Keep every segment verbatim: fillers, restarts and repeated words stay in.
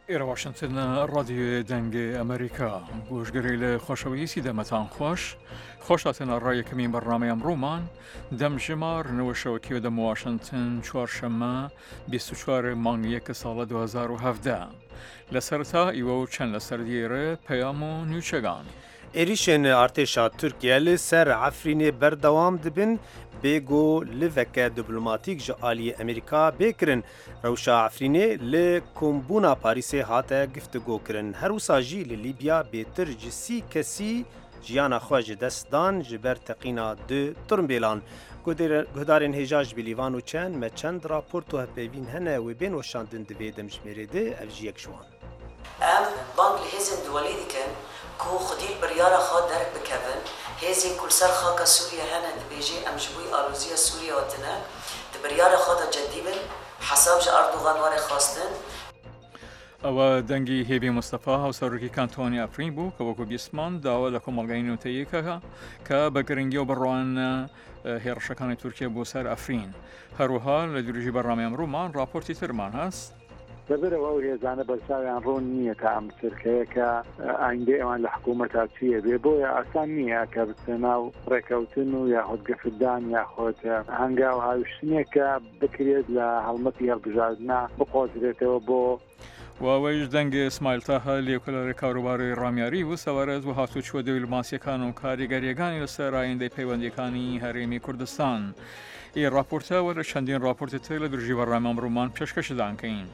ئێرە واشنتن ڕادیۆ دەنگێ ئەمریکا گۆشگەرەی لە خۆشەویستی دەمەتان خۆش خۆش هاتنە ڕای یەکەمین بەرنامەی ئەمڕۆمان دەم ژمار نەوە شەوەکی دەم واشنتن چوارشەممە بیست و چوار مانگ یەک ساڵە دوو هەزار و هەڤدە لە سەرەتا ئیوە و چەند لەسەر دیێرە پەیام و نوچەگان. Êrişên artêşa Tirkiye li ser Efrînê berdewam dibin bê ku liveke diplomatîk ji aliyê Amerîka bê kirin. Rewşa Efrînê li Kombûna Parîsê hate giftigokirin. Her wisa jî li Lîbya bêtir ji sî kesî jiyana xwe ji dest dan ji ber teqîna du tirimbêlan. Guhdarên hêja ji bilîvan û çend me çend raport û hevpeyvîn hene wê bên weşandin di vê demjimêrê de ev jî yek ji wan. Em bang li hêzên duwalî dikin ku xwedî biryara xwe derk bikevin, hêzên ku li ser xaka Sûriye hene dibêje em ji bo aloziya Sûriye hatine, di biryara xwe de ceddî bin, hesab ji Erdogan were xwestin. ئەوە دەنگی هێبی مستەفا هاوسەرۆکی کانتۆنی ئەفرین بوو کە وەکو بیستمان داوا لە کۆمەڵگای نوتەیەکەکە کە بە گرنگی و بڕوانە هێڕشەکانی تورکیا بۆ سەر ئەفرین. هەروەها لە درێژی بەرنامەی ئەمڕۆمان راپۆرتی ترمان هەست. لەبەرەوە ئەو هێزانە بەرچاویان ڕوون نییە تا ئەم چرکەیە کە ئایندەی ئەوان لە حکوومەتا چییە بێ، بۆیە ئاسان نییە کە بچنە ناو ڕێکەوتن و یاخود گەفتدان یاخود هەنگاو هاویشتنێک کە بکرێت لە هەڵمەتی هەڵبژاردنە بقۆزرێتەوە بۆ واوەیش دەنگێ ئیسماعیل تاها لێکۆڵەرە کاروباری ڕامیاری و سەبارەت و هاتوچوە دیپلۆماسیەکان و کاریگەریەکانی لەسەر ئایندەی پەیوەندیەکانی هەرێمی کوردستان. ئی راپۆرتە وەرە چەندین راپۆرتی تر لە درژی بەرنامە ئەمڕۆمان پێشکەشدان کەین.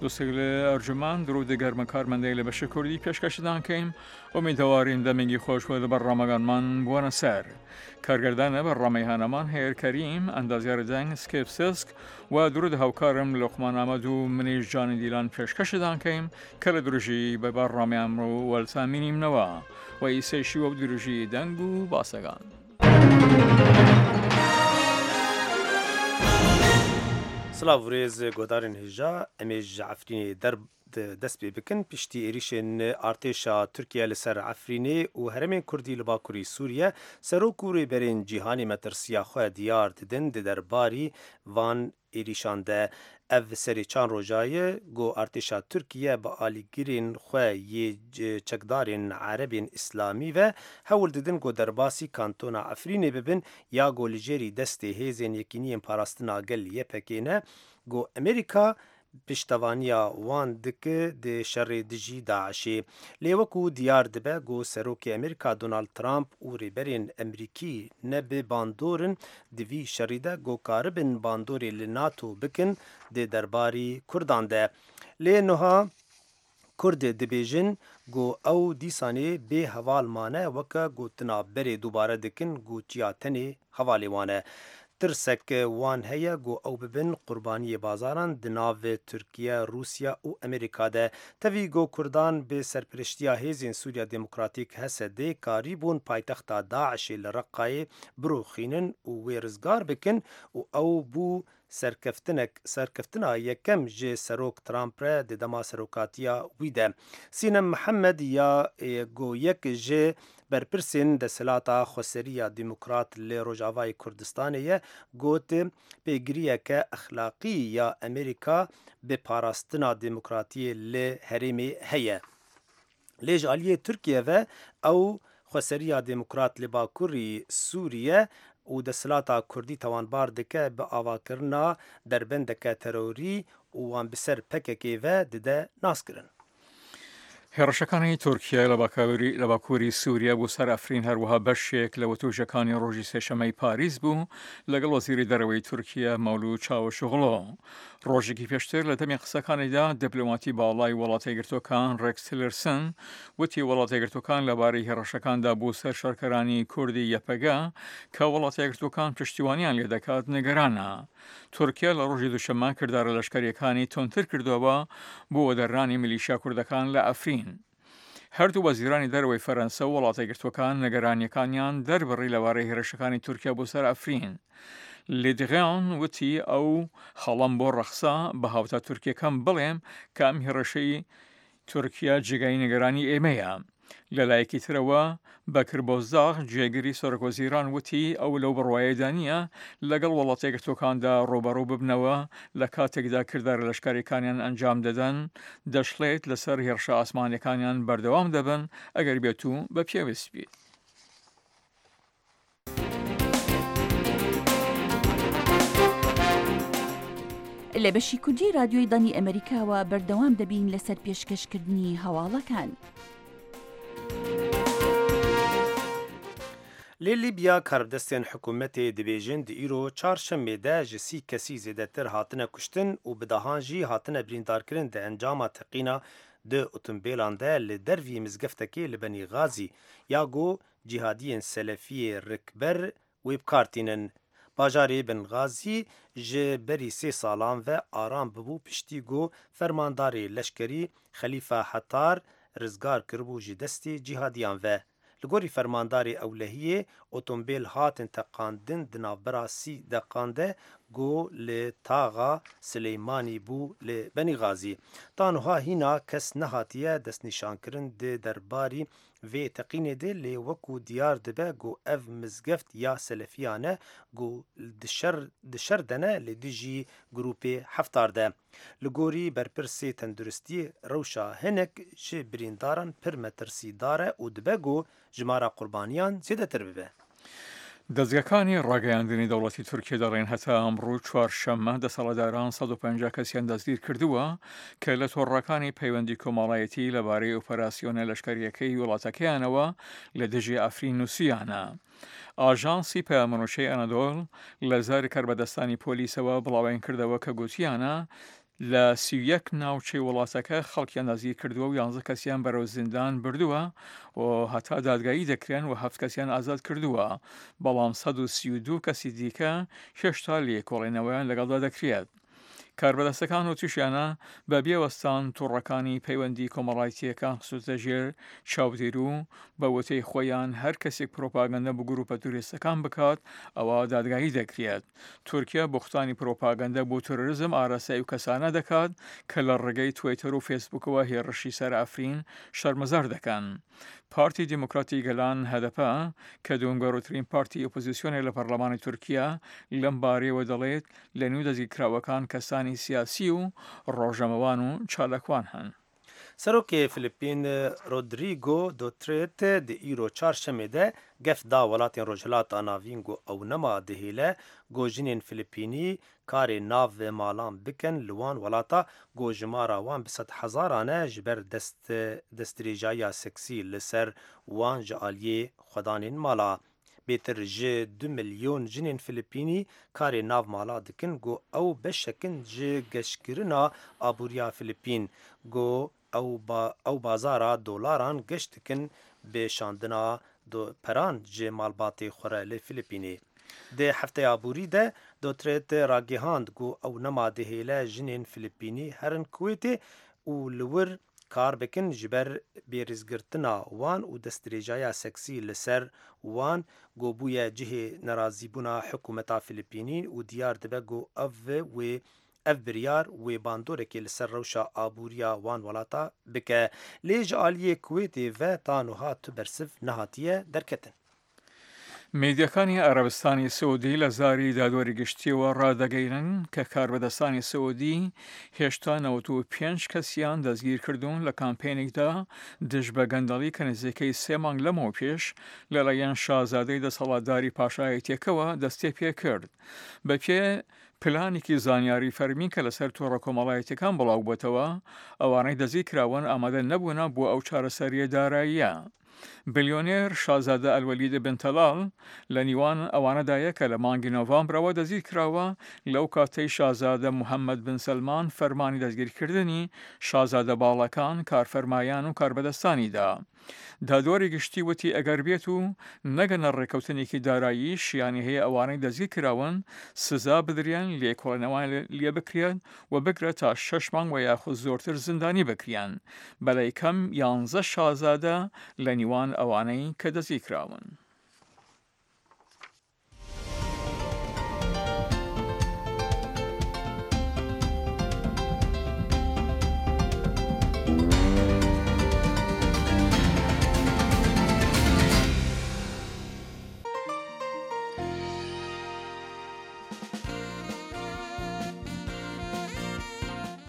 دووسێک لە ئەرجومان درود گەرمە کارمەندەی لە بەشی کوردی پێشکەشدان کەین. ئومیدەوارین دەمێنگی خۆشوە لە بەرنامەگانمان بووەنە سەر. کارگردانە بەرنامەی هانەمان هێر کەریم، ئەندازیار دەنگ سکێپ سسک و درود هاوکارم لۆقمان ئامەد و منیش جانی دیلان پێشکەشدان کەیم کە لە درژی بە بەرنامەی ئەمڕۆ وەلتامینیمنەوە و ئیسەیشی وەک درژی دەنگ و باسەگان. سلاv rêz guhdarên hêja em ê ji Efrînê der dest pê bikin piştî êrişên artêşa Tirkiye li ser Efrînê û herêmên Kurdî li Bakurî Sûriye serok û rêberên cîhanê metirsiya xwe diyar didin di derbarî van êrişan de. Ev serê çand roja ye ku artêşa Tirkiye bi alîgirên xwe yê çekdarên Erebên Îslamî ve hewl didin ku derbasî kantona Efrînê bibin ya ku li jêrî destê hêzên Yekîniyên Parastina Gel Y P G ne ku Amerîka piştevaniya wan dike di şerê dijî Daişê. Lê wekû diyar dibe ku Serokê Amerîka Donald Trump û rêberên Amerîkî ne bi bandor in di vî şerî de ku karibin bandorê li NATO bikin di derbarî Kurdan de. Lê niha Kurd dibêjin ku ew dîsanê bê heval mane weke gotina berê dubare dikin ku çiya tenê hevalê wan e. Tirsek wan heye ku ew bibin qurbaniyê bazaran di nav Tirkiye, Rûsya û Amerîka de. Tevî ku Kurdan bi serpereştiya hêzên Sûriya Demokratîk H S D karîbûn paytexta Daişê li Reqqayê birûxînin û wê rizgar bikin û ew bû serkeftinek serkeftina yekem ji Serok Trump re di dema serokatiya wî de. Sînem Mihemed ya ku yek ji berpirsên desthilata Xweseriya Demokrat li Rojavayê Kurdistanê ye got pêgiriyeke exlaqî ya Amerîka bi parastina demokratiyê li herêmê heye. Lê ji aliyê Tirkiye ve ew Xweseriya Demokrat li Bakurî Sûriye û desthilata Kurdî tawanbar dike bi avakirina derbendeke terorî û wan bi ser P K K ve dide naskirin. هێڕشەکانی تورکیا لە باکووری سووریا بۆ سەر ئەفرین هەروەها بەشێک لە وتوژەکانی ڕۆژی سێشەمەی پاریس بوو لەگەڵ وەزیری دەرەوەی تورکیا مەولود چاوشئۆغلۆ. ڕۆژێکی پێشتر لە دەمی قسەکانیدا دیپلۆماتی باڵای وڵاتە یەکگرتووەکان ڕێکس تیلرسن وتی وڵاتە یەکگرتووەکان لەبارەی هێڕشەکاندا بۆ سەر شەڕکەرانی کوردی یەپەگە کە وڵاتە یەکگرتووەکان پشتیوانیان لێ دەکات نیگەرانە. تورکیا لە ڕۆژی دووشەممە کردارە لەشکریەکانی توندتر کردەوە بۆ وەدەرنانی میلیشیا کوردەکان لە ئەفرین. هەردوو وەزیرانی دەرەوەی فەرەنسا و وڵاتە یەکگرتووەکان نگەرانیەکانیان دەربڕی لەبارەی هێرشەکانی تورکیا بۆ سەر ئەفرین. لێدغیان وتی ئەو خەڵەم بۆ ڕەخسا بە هاوتا تورکیەکەم بڵێم کە ئەم هێڕشەی تورکیا جێگای نیگەرانی ئێمەیە. لەلایەکی ترەوە بەکر بۆزداغ جێگری سەرۆکوەزیران وتی ئەو لەو بڕوایەدا نییە لەگەڵ وڵاتە یەکگرتووەکاندا ڕووبەڕوو ببنەوە لە کاتێکدا کردارە لەشکرییەکانیان ئەنجام دەدەن، دەشڵێت لەسەر هێڕشە ئاسمانیەکانیان بەردەوام دەبن ئەگەر بێتوو بە پێویست بیت. لە بەشی کوردی رادیۆی دەنگی ئەمەریکاوە بەردەوام دەبین لەسەر پێشکەشکردنی هەواڵەکان. Li Lîbya karbidestên hikûmetê dibêjin di îro çarşemê de ji sî kesî zêdetir hatine kuştin û bi dehan jî hatine birîndarkirin di encama teqîna di otombêlan de li dervî mizgeftekê li Benî Xazî ya ku cîhadiyên selefiyê rikber wê bi kar tînin. Bajarê Benxazî ji berî sê salan ve aram bibû piştî ku fermandarê leşkerî Xelîfe Hefter rizgar kiribû ji destê cîhadiyan ve. Li gorî fermandarê ewlehiyê otombêl hatin teqandin di navbera sî deqan de ku li taxa Silêmanî bû li Benî Xazî. Ta niha hîna kes nehatiye destnîşankirin di derbarî vê teqînê de lê wekû diyar dibe ku ev mizgeft ya selefiyan e ku di şer de ne li dijî grûpê Hefter de. Li gorî berpirsê tenduristiyê rewşa hinek ji birîndaran pir metirsîdar e û dibe ku jimara qurbaniyan zêdetir bibe. دەزگەکانی ڕاگەیاندنی دەوڵەتی تورکیا دەڵێن هەتا ئەمڕۆ چوارشەممە دەسەڵاتداران سەد و پەنجا کەسیان دەستگیر کردووە کە لە تۆڕەکانی پەیوەندی کۆمەڵایەتی لەبارەی ئۆپەراسیۆنە لەشکرییەکەی وڵاتەکەیانەوە لە دژی عەفرین نووسیانە. ئاژانسی پەیامنوچەی ئەنەدۆڵ لە زاری کاربەدەستانی پۆلیسەوە بڵاویان کردەوە کە گوتیانە لە سی و یەک ناوچەی وڵاتەکە خەڵکیان دەستگیر کردووە و یانزە کەسیان بەرەو زیندان بردووە و هەتا دادگایی دەکرێن و هەفت کەسیان ئازاد کردووە، بەڵام سەد و سی و دوو کەسی دیکە هێشتا لێکۆڵینەوەیان لەگەڵدا دەکرێت. کاربەدەستەکان وتوشیانە بە بێوەستان تۆڕەکانی پەیوەندی کۆمەڵایەتییەکان خستووتە ژێر چاودێر و بە وتەی خۆیان هەر کەسێک پرۆپاگەندە بۆ گروپە تیرۆریستەکان بکات ئەوا دادگایی دەکرێت. تورکیا بوختانی پرۆپاگەندە بۆ تیرۆریزم ئاراستەی ئەو کەسانە دەکات کە لە ڕێگەی تویتەر و فەیسبووکەوە هێڕشی سەر عەفرین شەرمەزار دەکەن. پارتی دیموکراتی گەلان هەدەپە کە دووەم گەورەترین پارتی ئۆپۆزیسیۆنە لە پەرلەمانی تورکیا لەم بارەیەوە دەڵێت لە نێو دەستگیرکراوەکان کەسانی سیاسی و ڕۆژنامەوان و چالاکوان هەن. Serokê Filipîn Rodrigo Duterte di îro çarşemê de gef da welatên Rojhilata Navîn ku ew nema dihêle ku jinên Filipînî karê nav malan bikin li wan welata ku jimara wan bi sed hezaran e ji ber destdirêjaya seksî li ser wan ji aliyê xwedanên mala. Bêtir ji du milyon jinên Filipînî karê nav mala dikin ku ew beşek in ji geşkirina aboriya Filipîn ku ew bazara dolaran geş dikin bi şandina peran ji malbatê xwe re li Filipînê. Di hefteya borî de Duterte ragihand ku ew nema dihêle jinên Filipînî herin Kuwêtê û li wir kar bikin ji ber bêrêzgirtina wan û destdirêjaya seksî li ser wan ku bûye cihê nerazîbûna hikûmeta Filipînî û diyar dibe ku ev wê ev biryar wê bandorekê li ser rewşa aboriya wan welata bike. Lê ji aliyê Kuwêtê ve ta niha tu bersiv nehatiye derketin. میدیاکانی عەرەبستانی سعودی لە زاری دادوەری گشتیەوە ڕادەگەیەنن کە کاربەدەستانی سعودی هێشتا نەوەت و پێنج کەسیان دەستگیر کردوون لە کامپینێکدا دژ بە گەندەڵی کە نزیکەی سێ مانگ لەمەوە پێش لەلایەن شازادەی دەسەڵاتداری پاشایەتیەکەوە دەستێ پێ کرد. بەپێ پلانێکی زانیاری فەرمی کە لەسەر تۆڕە کۆمەڵایەتیەکان بڵاو بۆتەوە، ئەوانەی دەستگیر کراون ئامادە نەبوونە بۆ ئەو چارەسەریە داراییە. بلیۆنێر شازادە ئەلوەلید بن تەلال لە نیوان ئەوانەدایە کە لە مانگی نۆڤامبرەوە دەستگیر کراوە لەو کاتەی شازادە محەممەد بن سەلمان فەرمانی دەستگیرکردنی شازادە باڵەکان، کارفەرمایان و کاربەدەستانی دا. دادوەری گشتی وتی ئەگەر بێت و نەگەنە ڕێککەوتنێکی دارایی شیانی هەیە ئەوانەی دەستگیر کراون سزا بدرێن، لێکۆڵینەوەیان لێ بکرێن و بگرە تا شەش مانگ و یاخود زۆرتر زیندانی بکرێن. بەلای کەم یانزە شازادە لە نیوان ئەوانەی کە دەستگیر کراون.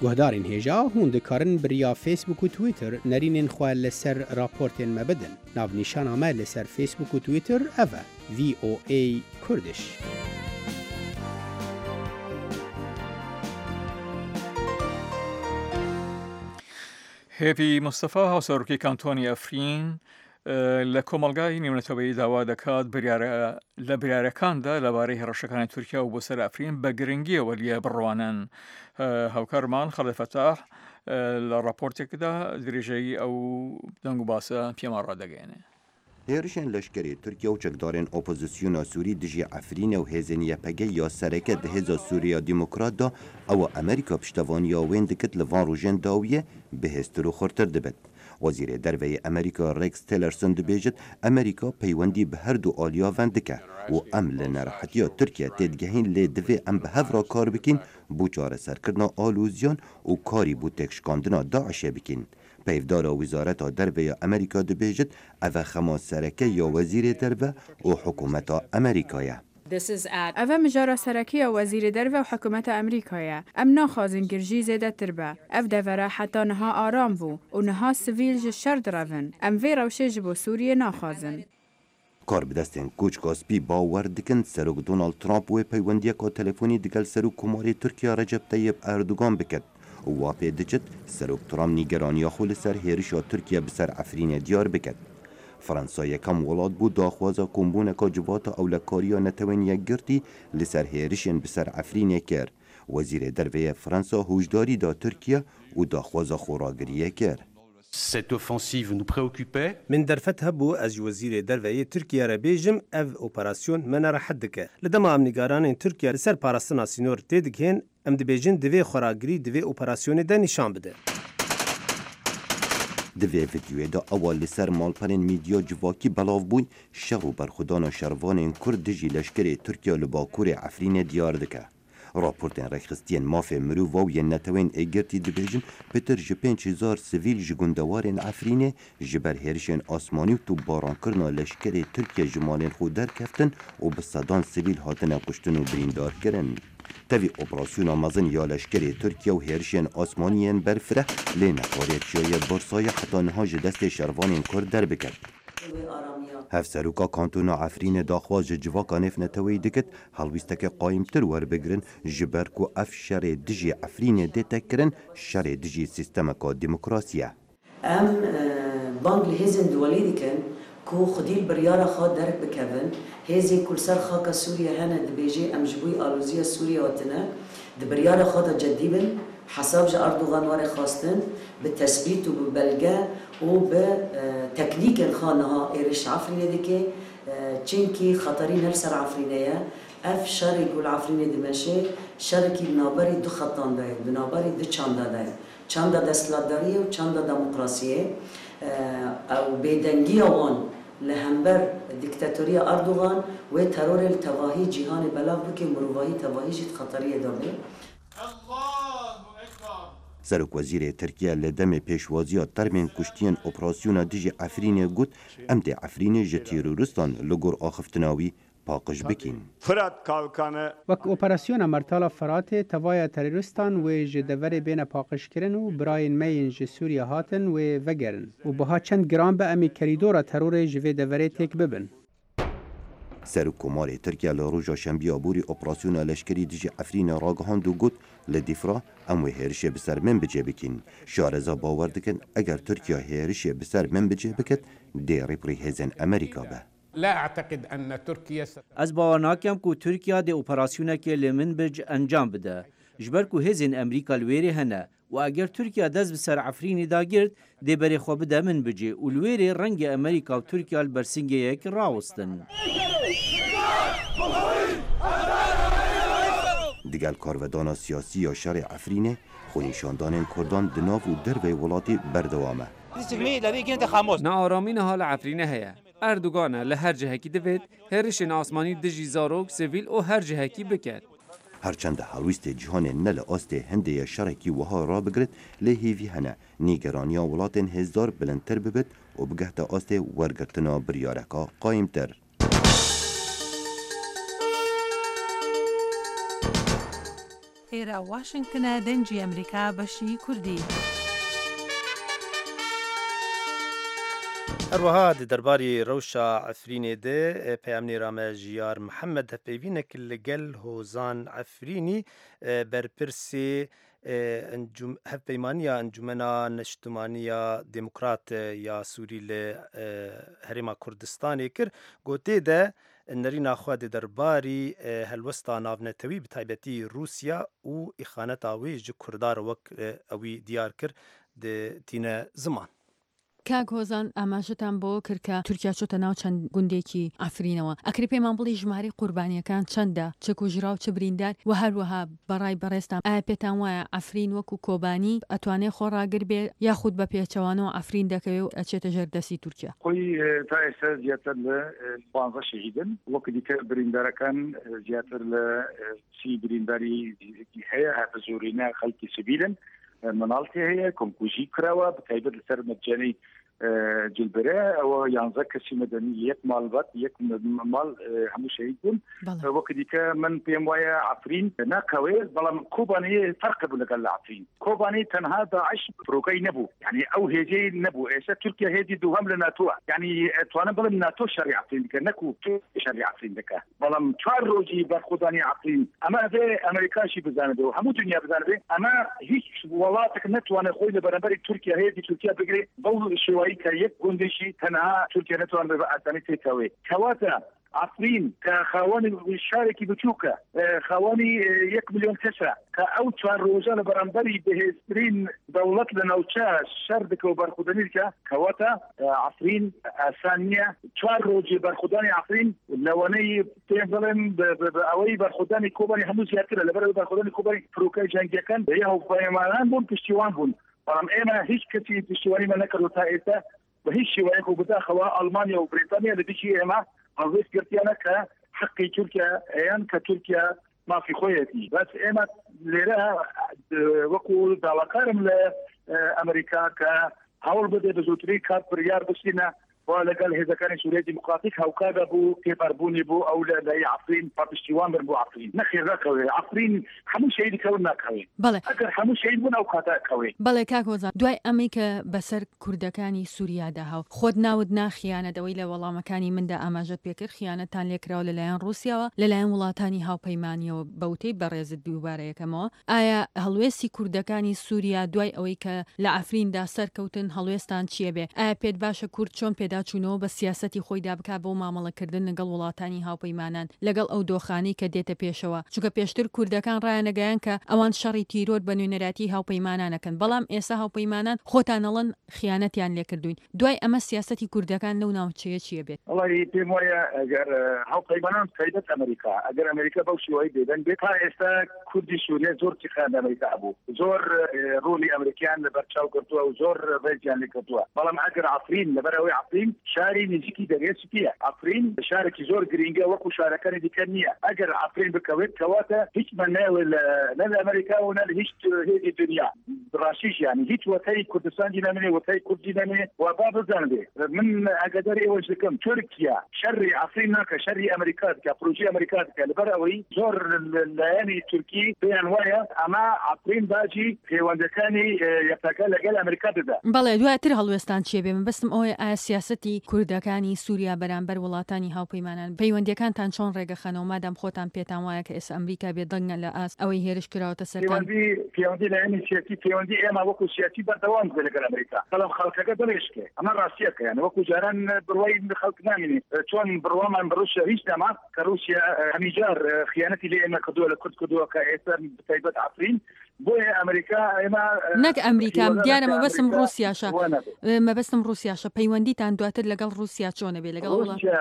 Guhdarên hêja hûn dikarin bi riya Facebook û Twitter nerînên xwe li ser raportên me bidin. Navnîşana me li ser Facebook û Twitter ev e: V O A Kurdish. هێڤی مستەفا، هاوسەرۆکی کانتۆنی ئەفرین، لە کۆمەلگای نێونەتەوەیی داوا دەکات بریارە لە بریارەکاندا لەبارەی هێڕشەکانی تورکیا و بۆ سەر ئەفرین بە گرنگیەوە لێ بڕوانن. هاوکارمان خەڵێ فەتاح لە راپۆرتێکدا درێژەی ئەو دەنگ و باسە پێمان ڕادەگەێنێ. هێرشên leşkerê Tirkiye û çekdarên opozisyona Sûrî dijî Efrînê û hêzên Y P G ya sereke di hêza Sûriya Demokrat da ewa Amerîka piştevaniya wên dikit li van rojên dawiyê bihêztir û xurtir dibit. Wezîrê Derveyê Amerîka Rex Tillerson dibêjit Amerîka peywendî bi her du aliya ven dike û em li nerehetiya Tirkiye têdigehîn lê divê em bi hev re kar bikîn bo çareserkirina aloziyan û karî bo têkşikandina Daişê bikîn. Peyvdara Wezareta Derve ya Amerîka dibêjit ev xema sereke ya wezîrê derve û hikûmeta Amerîka ye. Ev mijara sereke ya wezîrê derve û hikûmeta Amerîka ye. Em naxwazin girjî zêdetir be. Ev devera heta niha aram bû û niha sivîl ji şer direvin. Em vê rewşê ji bo Sûriyê naxwazin. Karbidestên Koçka Spî bawer dikin Serok Donald Trump wê peywendiyeka telefonî digel Serokkomarê Tirkiye Recep Tayyip Erdogan biket û wa pê diçit Serok Trump nîgeraniya xwe li ser hêrişa Tirkiye bi ser Efrînê diyar biket. Fransa yekem welat bû daxwaza kombûneka civata ewlekariya Netewên Yekgirtî li ser hêrişên bi ser Efrînê kir. Wezîrê Derve yê Fransa huşdarî da Tirkiye û daxwaza xweragiriyê kir. Cette offensive nous préoccupait. Min derfet hebû ez ji wezîrê derve yê Tirkiye re bêjim ev operasyon me nerehet dike. Li dema em nîgeranên Tirkiye li ser parastina sînor tê digihên, em dibêjin divê xweragirî divê operasyonê de nîşan bide. Di vê vîdyoyê de ewa li ser malperên medya civakî belav bûn şer û berxwedana şervanên Kurd dijî leşkerê Tirkiye li Bakurê Efrînê diyar dike. Raportên rêxistiyên mafê mirov û yên Netewên Yekgirtî dibêjin pitir ji pênc hezar sivîl ji gundewarên Efrînê ji ber hêrişên asmanî û topbarankirina leşkerê Tirkiye ji malên xwe derkeftin û bi sedan sivîl hatine kuştin û birîndarkirin. Tevî operasyona mezin ya leşkerê Tirkiye û hêrişên asmanî yên berfireh lê nekariye çiyayê Bursayê heta niha ji destê şervanên Kurd derbiket. Hevseroka Kantona Efrînê daxwaz ji civaka navneteweyî dikit helwîsteke qayîmtir werbigirin ji ber ku ev şerê dijî Efrînê dête kirin şerê dijî sîstemeka demokrasî ye. Em bang li hêzên duwalî dikin ku xwedî li biryara xwe derbikevin, hêzên ku li ser xaka Sûriye hene dibêje em ji bo aloziya Sûriye hatine, di biryara xwe de cidî bin, hesab ji Erdogan were xwestin, bi tesbît û bi belge û bi teknîkên xwe niha êriş Efrînê dike, çimkî xeterî ne li ser Efrînê ye. Ev şerê ku li Efrînê dimeşe, şerekî di navberî du xetan de ye, di navberî du çanda de ye. Çanda desthilatdariyê û çanda demokrasiyê. Ew bêdengiya wan li hember diktatoriya Erdogan wê terorê li tevahî cîhanê belav bike, mirovahî tevahî jî di xeteriyê de be. Serokwezîrê Tirkiye li demê pêşwaziya termên kuştiyên operasyona dijî Efrînê got em dê Efrînê ji terorîstan li gor axiftina wî paqij bikîn. Fırat Kalkanı Wek operasyona Mertala Feratê tevaya terorîstan wê ji deverê bêne paqijkirin û birayên me yên ji Sûriye hatin wê vegerin û biha çend giran be em ê kerîdora terorê ji vê deverê têk bibin. Serokkomarê Tirkiye li roja şembiya borî operasyona leşkerî dijî Efrînê ragihand û got li Dîfra em wê hêrişê bi ser Minbicê bikîn. Şareza bawer dikin eger Tirkiye hêrişê bi ser Minbicê biket dê rêberî hêzên Amerîka be. لا أعتقد أن تركيا Ez bawer nakim ku Tirkiye dê operasyonekê li Minbic encam bide. Ji ber ku hêzên Amerîka li wêrê hene û eger Tirkiye dest bi ser Efrînê da girt dê berê xwe bide Minbicê û li wêrê rengê Amerîka û Tirkiye li bersingeyek rawestin. Digel karvedana siyasî ya şerê Efrînê, xwenîşandanên Kurdan di nav û derveyê welatî berdewam e. Nearamî niha li Efrînê heye. Erdogan li her cihekî divêt hêrişên asmanî dijî zarok, sivîl û her cihekî biket. Herçend helwîstê cîhanê ne li astê hindê ye şerekî wiha rabigirit lê hêvî hene nîgeraniya welatên hêzdar bilindtir bibit û bigehte astê wergirtina biryareka qayîmtir. ئێرە واشنگتنە، دەنگی ئەمریکا، بەشی کوردی. هەروەها di derbarê rewşa Efrînê de peyamnêra me Jiyar Mihemed hevpeyvînek li gel Hozan Efrînî berpirsê hevpeymaniya Encûmena Neştimaniya Demokrat ya Sûrî li Herêma Kurdistanê kir gotê de nerîna xwe di derbarî helwesta navnetewî bi taybetî Rûsya û îxaneta wê ji Kurda re wek ewî diyar kir tîne ziman. کاک هۆزان، ئاماژەتان بۆ کرد کە تورکیا چۆتە ناو چەند گوندێکی ئەفرینەوە، ئەکرێ پێمان بڵێ ژمارەی قوربانیەکان چەندە، چ کوژرا و چ بریندار، و هەروەها بەڕای بەڕێزتان ئایا پێتان وایە ئەفرین وەکو کۆبانی ئەتوانێ خۆڕاگر بێ یاخود بە پێچەوانەوە ئەفرین دەکەوێ و ئەچێتە ژێر دەستی تورکیا؟ خۆی تا ئێستا زیاتر لە پانزە شەهیدن، وەکو دیکە بریندارەکان زیاتر لە سی برینداری هەیە، هەر بە زۆرینە خەڵکی سڤیلن، مناڵتی هەیە، کۆمکوژی کراوە بە تایبەت لەسەر مەجانەی جلبرە ئەوە یانزە کەسی مەدەنی یەک ماڵبەت یەک ماڵ هەموو شەهید بوون. وەکو دیکە من پێم وایە عەفرین ناکەوێ، بەڵام کۆبانی فەرق بوو لەگەڵ لە عەفرین. کۆبانی تەنها داعش فرۆکەی نەبوو، یعنی ئەو هێزەی نەبوو. ئێستا تورکیا هێزی دووهەم لە ناتۆوە، یعنی توانم بڵێم ناتۆ شەڕی عەفرین دەکە نەکو شەڕی عەفرین دەکە، بەڵام چوار ڕۆژی بەرخۆدانی عەفرین ئەمە ئەبێ ئەمریکاشی بزانێ و هەموو دنیا بزانێ ئەمە هیچ وڵاتێک نەتوانێت خۆی لە بەرامبەری تورکیا هێزی تورکیا بگرێ بەو شێوەیە کە یەک گوندێکی تەنها تورکیا نەتوانێت بە ئاسانی تێکەوێ. کەواتە عەفرین کە خاوەنی شارێکی بچووکە، خاوەنی یەک ملیۆن کەسە، کە ئەو چوار ڕۆژە لە بەرامبەری بەهێزترین دەوڵەت لە ناوچە شەر دەکە و بەرخودانی دکە، کەواتە عەفرین ئاسان نییە. چوار ڕۆژی بەرخودانی عەفرین لەوانەی پێم بڵێم ئەوەی بەرخودانی کۆبانی هەموو زیاترە، لەبەرەوەی بەرخودانی کۆبانی فرۆکەی جەنگیەکان یە هاوپەیمانان بوون، پشتیوان بوون، بەڵام ئێمە هیچ کەسی پشتیوانیمان نەکردو تا ئێستا بە هیچ شێوەیەک و بەداخەوە ئەڵمانیا و بریتانیا لە دژی ئێمە هەڵوێست گرتیانە کە حەقی تورکیا ئەیان کە تورکیا مافی خۆیەتی. بەس ئێمە لێرە وەکو داواکارم لە ئەمریکا کە هەوڵ بدێ بە زووترین کات بڕیار بچینە و لەگەڵ هێزەکانی سووریای دیموکراتیک هاوکارە بوو تێپەربوونی بۆ ئەو لە لای عەفرین پشتیوان بن بۆ عەفرین. نەخێر ناکەوێ عەفرین، هەموو شەهیدی کەون ناکەوێ. بەڵێ ئەگەر هەموو شەهید بوون ئەو کاتە ئەکەوێ. بەڵێ کاک هۆزان، دوای ئەمەی کە بەسەر کوردەکانی سووریادا هاو خۆت ناوت نا خیانەت، ئەوەی لە وەڵامەکانی مندا ئاماژەت پێکرد خیانەتان لێکراوە لەلایەن ڕووسیاوە، لەلایەن وڵاتانی هاوپەیمانیەوە، بەوتەی بەڕێزت دووبارە یەکەمەوە، ئایا هەڵوێستی کوردەکانی سووریا دوای ئەوەی کە لە عەفریندا سەرکەوتن هەڵوێستان چییە بێ؟ ئایا پێت باشە کورد چۆن پێداچوونەوە بە سیاسەتی خۆیدا بکا بۆ مامەڵەکردن لەگەڵ وڵاتانی هاوپەیمانان لەگەڵ ئەو دۆخانەی کە دێتە پێشەوە؟ چونکە پێشتر کوردەکان ڕایانەگەیان کە ئەوان شەڕی تیرۆر بە نوێنەراتی هاوپەیمانانەکەن، بەڵام ئێستا هاوپەیمانان خۆتانەڵەن خیانەتیان لێکردوین. دوای ئەمە سیاسەتی کوردەکان لەو ناوچەیە چییە بێت؟ وەڵی پێم وایە ئەگەر هاوپەیمانان تایبەت ئەمریکا، ئەگەر ئەمریکا بەو شێوەیە بێدەنگ بێت، تا ئێستا کوردی سووریا زۆر تیخان ئەمریکا بوو، زۆر ڕۆڵی ئەمریکیان لەبەرچاو کردووە و زۆر ڕێزیان لێکردووە. بەڵام ئەگەر عەفرین، لەبەر ئەوەی عەفرین شاری نزیکی دەریای سپیە، عەفرین شارێکی زۆر گرینگە وەکو شارەکانی دیکە نییە. ئەگەر عەفرین بکەوێت کەواتە هیچ مەنایەوە نە لە ئەمریکا و نە لە هیچ هێزی دنیا ڕاستیش، یعنی هیچ وەتەی کوردستانی نامێنێ، وەتەی کوردی نامێنێ. و با بزانبێ من ئاگاداری ئێوەش دەکەم تورکیا شەڕی عەفرین ناکە، شەڕی ئەمریکا دکە، پرۆژەی ئەمریکا دکە. لەبەر ئەوەی زۆر لایەنی تورکی پێیان وایە ئەمە عەفرین باجی پەیوەندەکانی یەپەگە لەگەڵ ئەمریکا دەدا. بەڵێ دواتر هەڵوێستان چییە بێ؟ مەبەستم ئەوەیە ئایا سیاسەتی کوردەکانی سووریا بەرامبەر وڵاتانی هاوپەیمانان پەیوەندیەکانتان چۆن ڕێگەخەنەوە مادام خۆتان پێتان وایە کە ئێستا ئەمریکا بێدەنگە لە ئاست ئەوەی هێرش کراوەتە سەرتان؟ پەیوەندی لایەنی سیاسی، پەیوەندی ئێمە وەکو سیاسی بەردەوام بێ لەگەڵ ئەمریکا، بەڵام خەڵکەکە دڵێشکێ. ئەمە ڕاستیەکە، یعنی وەکو جاران بڕوای خەڵک نامێنێ. چۆن بڕوامان بە ڕووسیا هیچ نەما کە ڕووسیا هەمیجار خیانەتی لێ ئێمە کردووە، لە کورد کردووە کە ئێستا بەتایبەت عەفرین. بۆیە ئەمریکا ئێمە نەک ئەمریکا، دیارە مەبەستم ڕووسیاشە، مەبەستم ڕووسیاشە. پەیوەندیتان دواتر لەگەڵ ڕووسیا چۆنە بێ؟ لەگەڵ ڕووسیا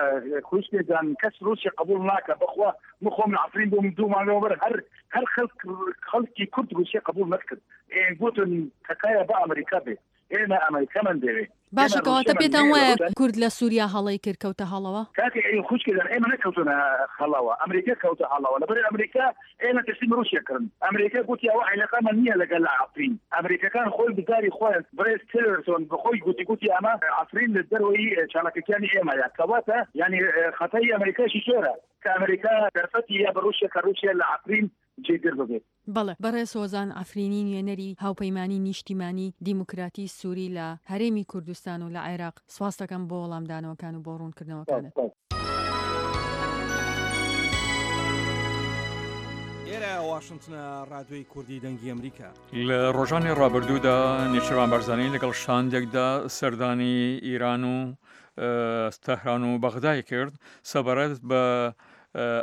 خوشکێکان کەس ڕووسیا قبوڵ ناکە. بەخوا من خۆم لە عەفرین بووم دوو مانگەوە بەر هەر هەر خەڵک خەڵکی کورد ڕووسیا قبوڵ نەکرد. گوتن تکایە بە ئەمریکا بێ، ئێمە ئەمریکامان دەوێ. باشە کەواتە پێتان وایە کورد لە سووریا هەڵەی کرد کەوتە هەڵەوە؟ کاکە ئەی خوشکێکان ئێمە نەکەوتونە هەڵەوە، ئەمریکا کەوتە هەڵەوە. لەبەر ئەمریکا ئێمە تەسلیم ڕووسیا کردن. ئەمریکا گوتی ئەوە عیلاقەمان نییە لەگەڵ عەفرین. ئەمریکەکان خۆی بزاری خۆیان، بڕێز تیلرسۆن بەخۆی گوتی گوتی ئەمە عەفرین لە دەرەوەی چالاکەکانی ئێمەیە. کەواتە یعنی خەتای ئەمریکاشی زۆرە کە ئەمریکا دەرفەتی یا بە ڕووسیا کە ڕووسیا لە عەفرین جێگر ببێت. بەڵێ، بەڕێز هۆزان عەفرینی نوێنەری هاوپەیمانی نیشتیمانی دیموکراتی سوری لە هەرێمی کوردستان و لە عێراق، سپاست دەکەم بۆ وەڵامدانەوەکان و بۆ ڕوونکردنەوەکانت. ئێرە واشنتنە، ڕادیۆی کوردی دەنگی ئەمریکا. لە ڕۆژانی ڕابردوودا نێچیرڤان بارزانی لەگەڵ شاندێکدا سەردانی ئیران و تەهران و بەغدای کرد سەبارەت بە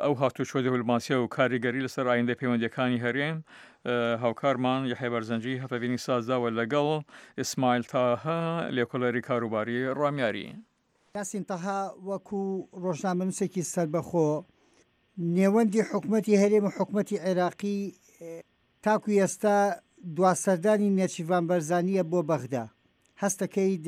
ئەو هاتوچۆ دیپلۆماسیە و کاریگەری لەسەر ئایندەی پەیوەندیەکانی هەرێم هاوکارمان یحیی بەرزنجی هەپەڤینی سازداوە لەگەڵ ئیسماعیل تاها لێکۆڵەری کاروباری ڕامیاری. یاسین تەها وەکو ڕۆژنامەنووسێکی سەربەخۆ، نێوەندی حکومەتی هەرێم و حکومەتی عێراقی تاکو ئێستا دوا سەردانی نێچیرڤان بەرزانییە بۆ بەغدا، هەستەکەیت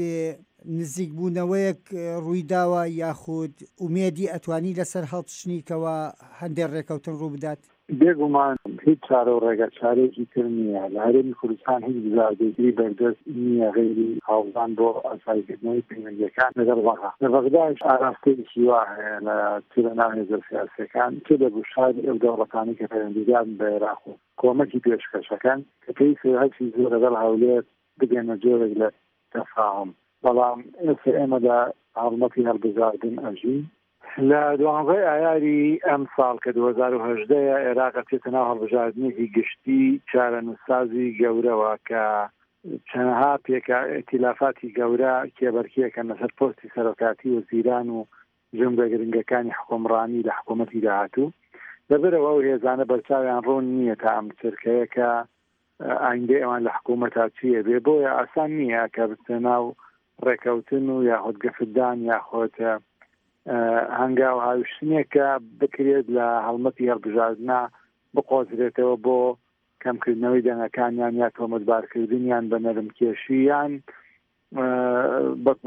نزیکبوونەوەیەک ڕوویداوە یاخود ئومێدی ئەتوانی لەسەر هەڵچنی کەوا هەندێ ڕێکەوتن ڕووبدات؟ بێگومان هیچ چارە و ڕێگا چارەیەکی تر نییە، لە هەرێمی کوردستان هیچ بژاردەیەکی بەردەست نییە غەیری هەوڵدان بۆ ئاساییکردنەوەی پەیوەندییەکان لەگەڵ بەغا. لە بەغداش ئاراستەیەکی وا هەیە لە چ لە ناو هێزە سیاسییەکان چ لە گوشاری ئەو دەوڵەتانەی کە پەیوەندیدارن بە عێراق و کۆمەکی پێشکەشەکەن کە پێویستە هەرچی زووە لەگەڵ هەولێر بگەنە جۆرێک لە تەفاهوم. بەڵام ئێستا ئێمە لە هەڵمەتی هەڵبژاردن ئەژین. لە دوانزەی ئایاری ئەمساڵ کە دوو هەزار و هەژدە ە ئێراق ئەچێتە ناو هەڵبژاردنێکی گشتی چارەنووسسازی گەورەوە کە چەنەها پێکا ئیتیلافاتی گەورە کێبەرکێکەن لەسەر پۆستی سەرۆکاتی وەزیران و جومگە گرنگەکانی حکومڕانی لە حکوومەتی داهاتوو. لەبەرئەوە ئەو هێزانە بەرچاویان ڕوون نییە تا ئەم چرکەیە کە ئایندەی ئەوان لە حکوومەتا چییە بێ، بۆیە ئاسان نییە کە بچنە ناو ڕێکەوتن و یاخود گەفتدان یاخود هەنگاو هاویشتنێک کە بکرێت لە هەڵمەتی هەڵبژاردنە بقۆزرێتەوە بۆ کەمکردنەوەی دەنگەکانیان یا تۆمەتبارکردنیان بە نەرمکێشی یان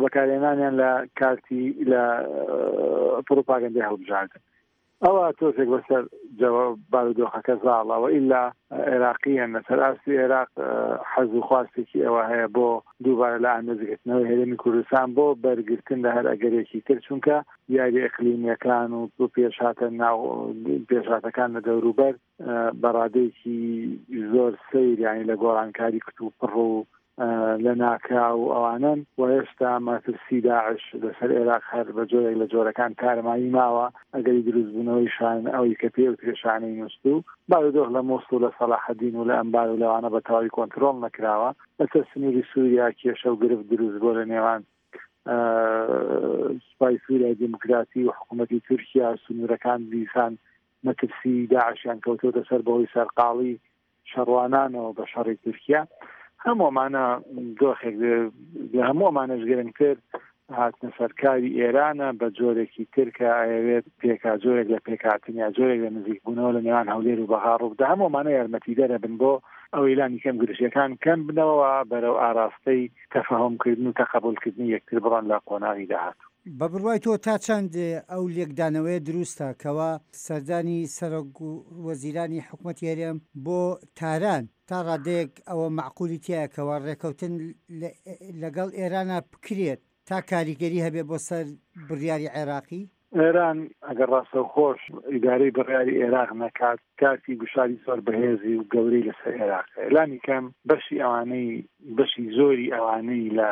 بەکارهێنانیان لە کارتی لە پڕوپاگەندەی هەڵبژاردن. ئەوە تۆزێک بەسەر بارودۆخەکە زاڵە و ئیلا عێراقییان لەسەر ئاستی عێراق حەز و خواستێکی ئەوە هەیە بۆ دووبارە لە ئامێزگرتنەوەی هەرێمی کوردستان بۆ بەرگرتن لە هەر ئەگەرێکی تر، چونکە یاری ئەقلیمیەکان و پێشهاتە ناو پێشهاتەکان لە دەوروبەر بە ڕادەیەکی زۆر سەیر یانی لە گۆڕانکاری کتوپڕ و لە ناکاو و ئەوانەن و هێشتا مەترسی داعش لەسەر ئێراق هەر بە جۆرێک لە جۆرەکان تارمایی ماوە، ئەگەری دروستبوونەوەی شان ئەوەی کە پێی وترێ شانەی نوستوو، بارودۆخ لە موسڵ و لە سەڵاحەدین و لە ئەنبار و لەوانە بە تەواوی کۆنترۆڵ نەکراوە، لەسەر سنووری سووریا کێشە و گرفت دروست بووە لە نێوان سوپای سووریای دیموکراتی و حکوومەتی تورکیا، سنوورەکان دیسان مەترسی داعشیان کەوتۆتە سەر بەهۆی سەرقاڵی شەڕوانانەوە بە شەڕی تورکیا. هەموو ئەمانە دۆخێک لە هەموو ئەمانەش گرنگتر هاتنە سەرکاری ئێرانە بە جۆرێکی تر کە ئەیەوێت پێکا جۆرێک لە پێکهاتن یا جۆرێک لە نزیکبوونەوە لە نێوان هەولێر و بەغا ڕووبدا. هەموو ئەمانە یارمەتیدەرە بن بۆ ئەوەی لانی کەم گرژییەکان کەم بنەوە بەرەو ئاراستەی تەفەهومکردن و تەقەبولکردنی یەکتر بڕۆن لە قۆناغی داهاتوو. بە بڕوای تۆ تا چەند ئەو لێکدانەوەیە دروستە کەوا سەردانی سەرۆک وەزیرانی حکومەتی هەرێم بۆ تاران تا ڕادەیەک ئەوە مەعقولی تیایە کەوا ڕێکەوتن لەگەڵ ئێرانا بکرێت تا کاریگەری هەبێت بۆ سەر بڕیاری عێراقی؟ ئێران ئەگەر ڕاستەوخۆش ئیدارەی بڕیاری ئێراق نەکات کارتی گوشاری زۆر بەهێزی و گەورەی لەسەر ئێراق هەیە لانی کەم بەشی ئەوانەی بەشی زۆری ئەوانەی لە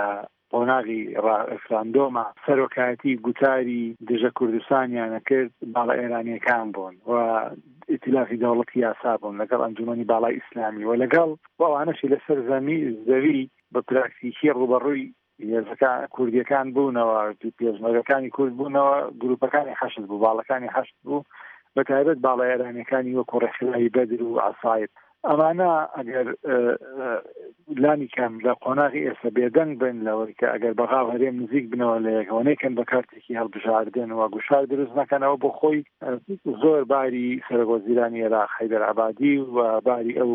قۆناغی ڕێفراندۆما سەرۆکایەتی گوتاری دژە کوردستانیانە کرد باڵە ئێرانیەکان بوون و ئیتلافی دەوڵەتی یاسا بوون لەگەڵ ئەنجومەنی باڵای ئیسلامی و لەگەڵ ئەوانەشی لەسەر زەمی زەوی بە پراکتیکی ڕووبەڕووی هێزەکان کوردیەکان بوونەوە، پێشمەرگەکانی کورد بوونەوە، گروپەکانی حەشد بوو، باڵەکانی حەشد بوو، بە تایبەت باڵە ئێرانیەکانی وەکو ڕێکخراوی بەدر و عەسایب. ئەمانە ئەگەر لانی کەم لە قۆناغی ئێستا بێدەنگ بن لەوەی کە ئەگەر بەغا و هەرێم نزیک بنەوە لە یەکەوە نەیکەن بە کارتێکی هەڵبژاردن و گوشار دروست نەکەنەوە بۆ خۆی زۆر باری سەرۆک وەزیرانی عێراق حەیدەر عەبادی و باری ئەو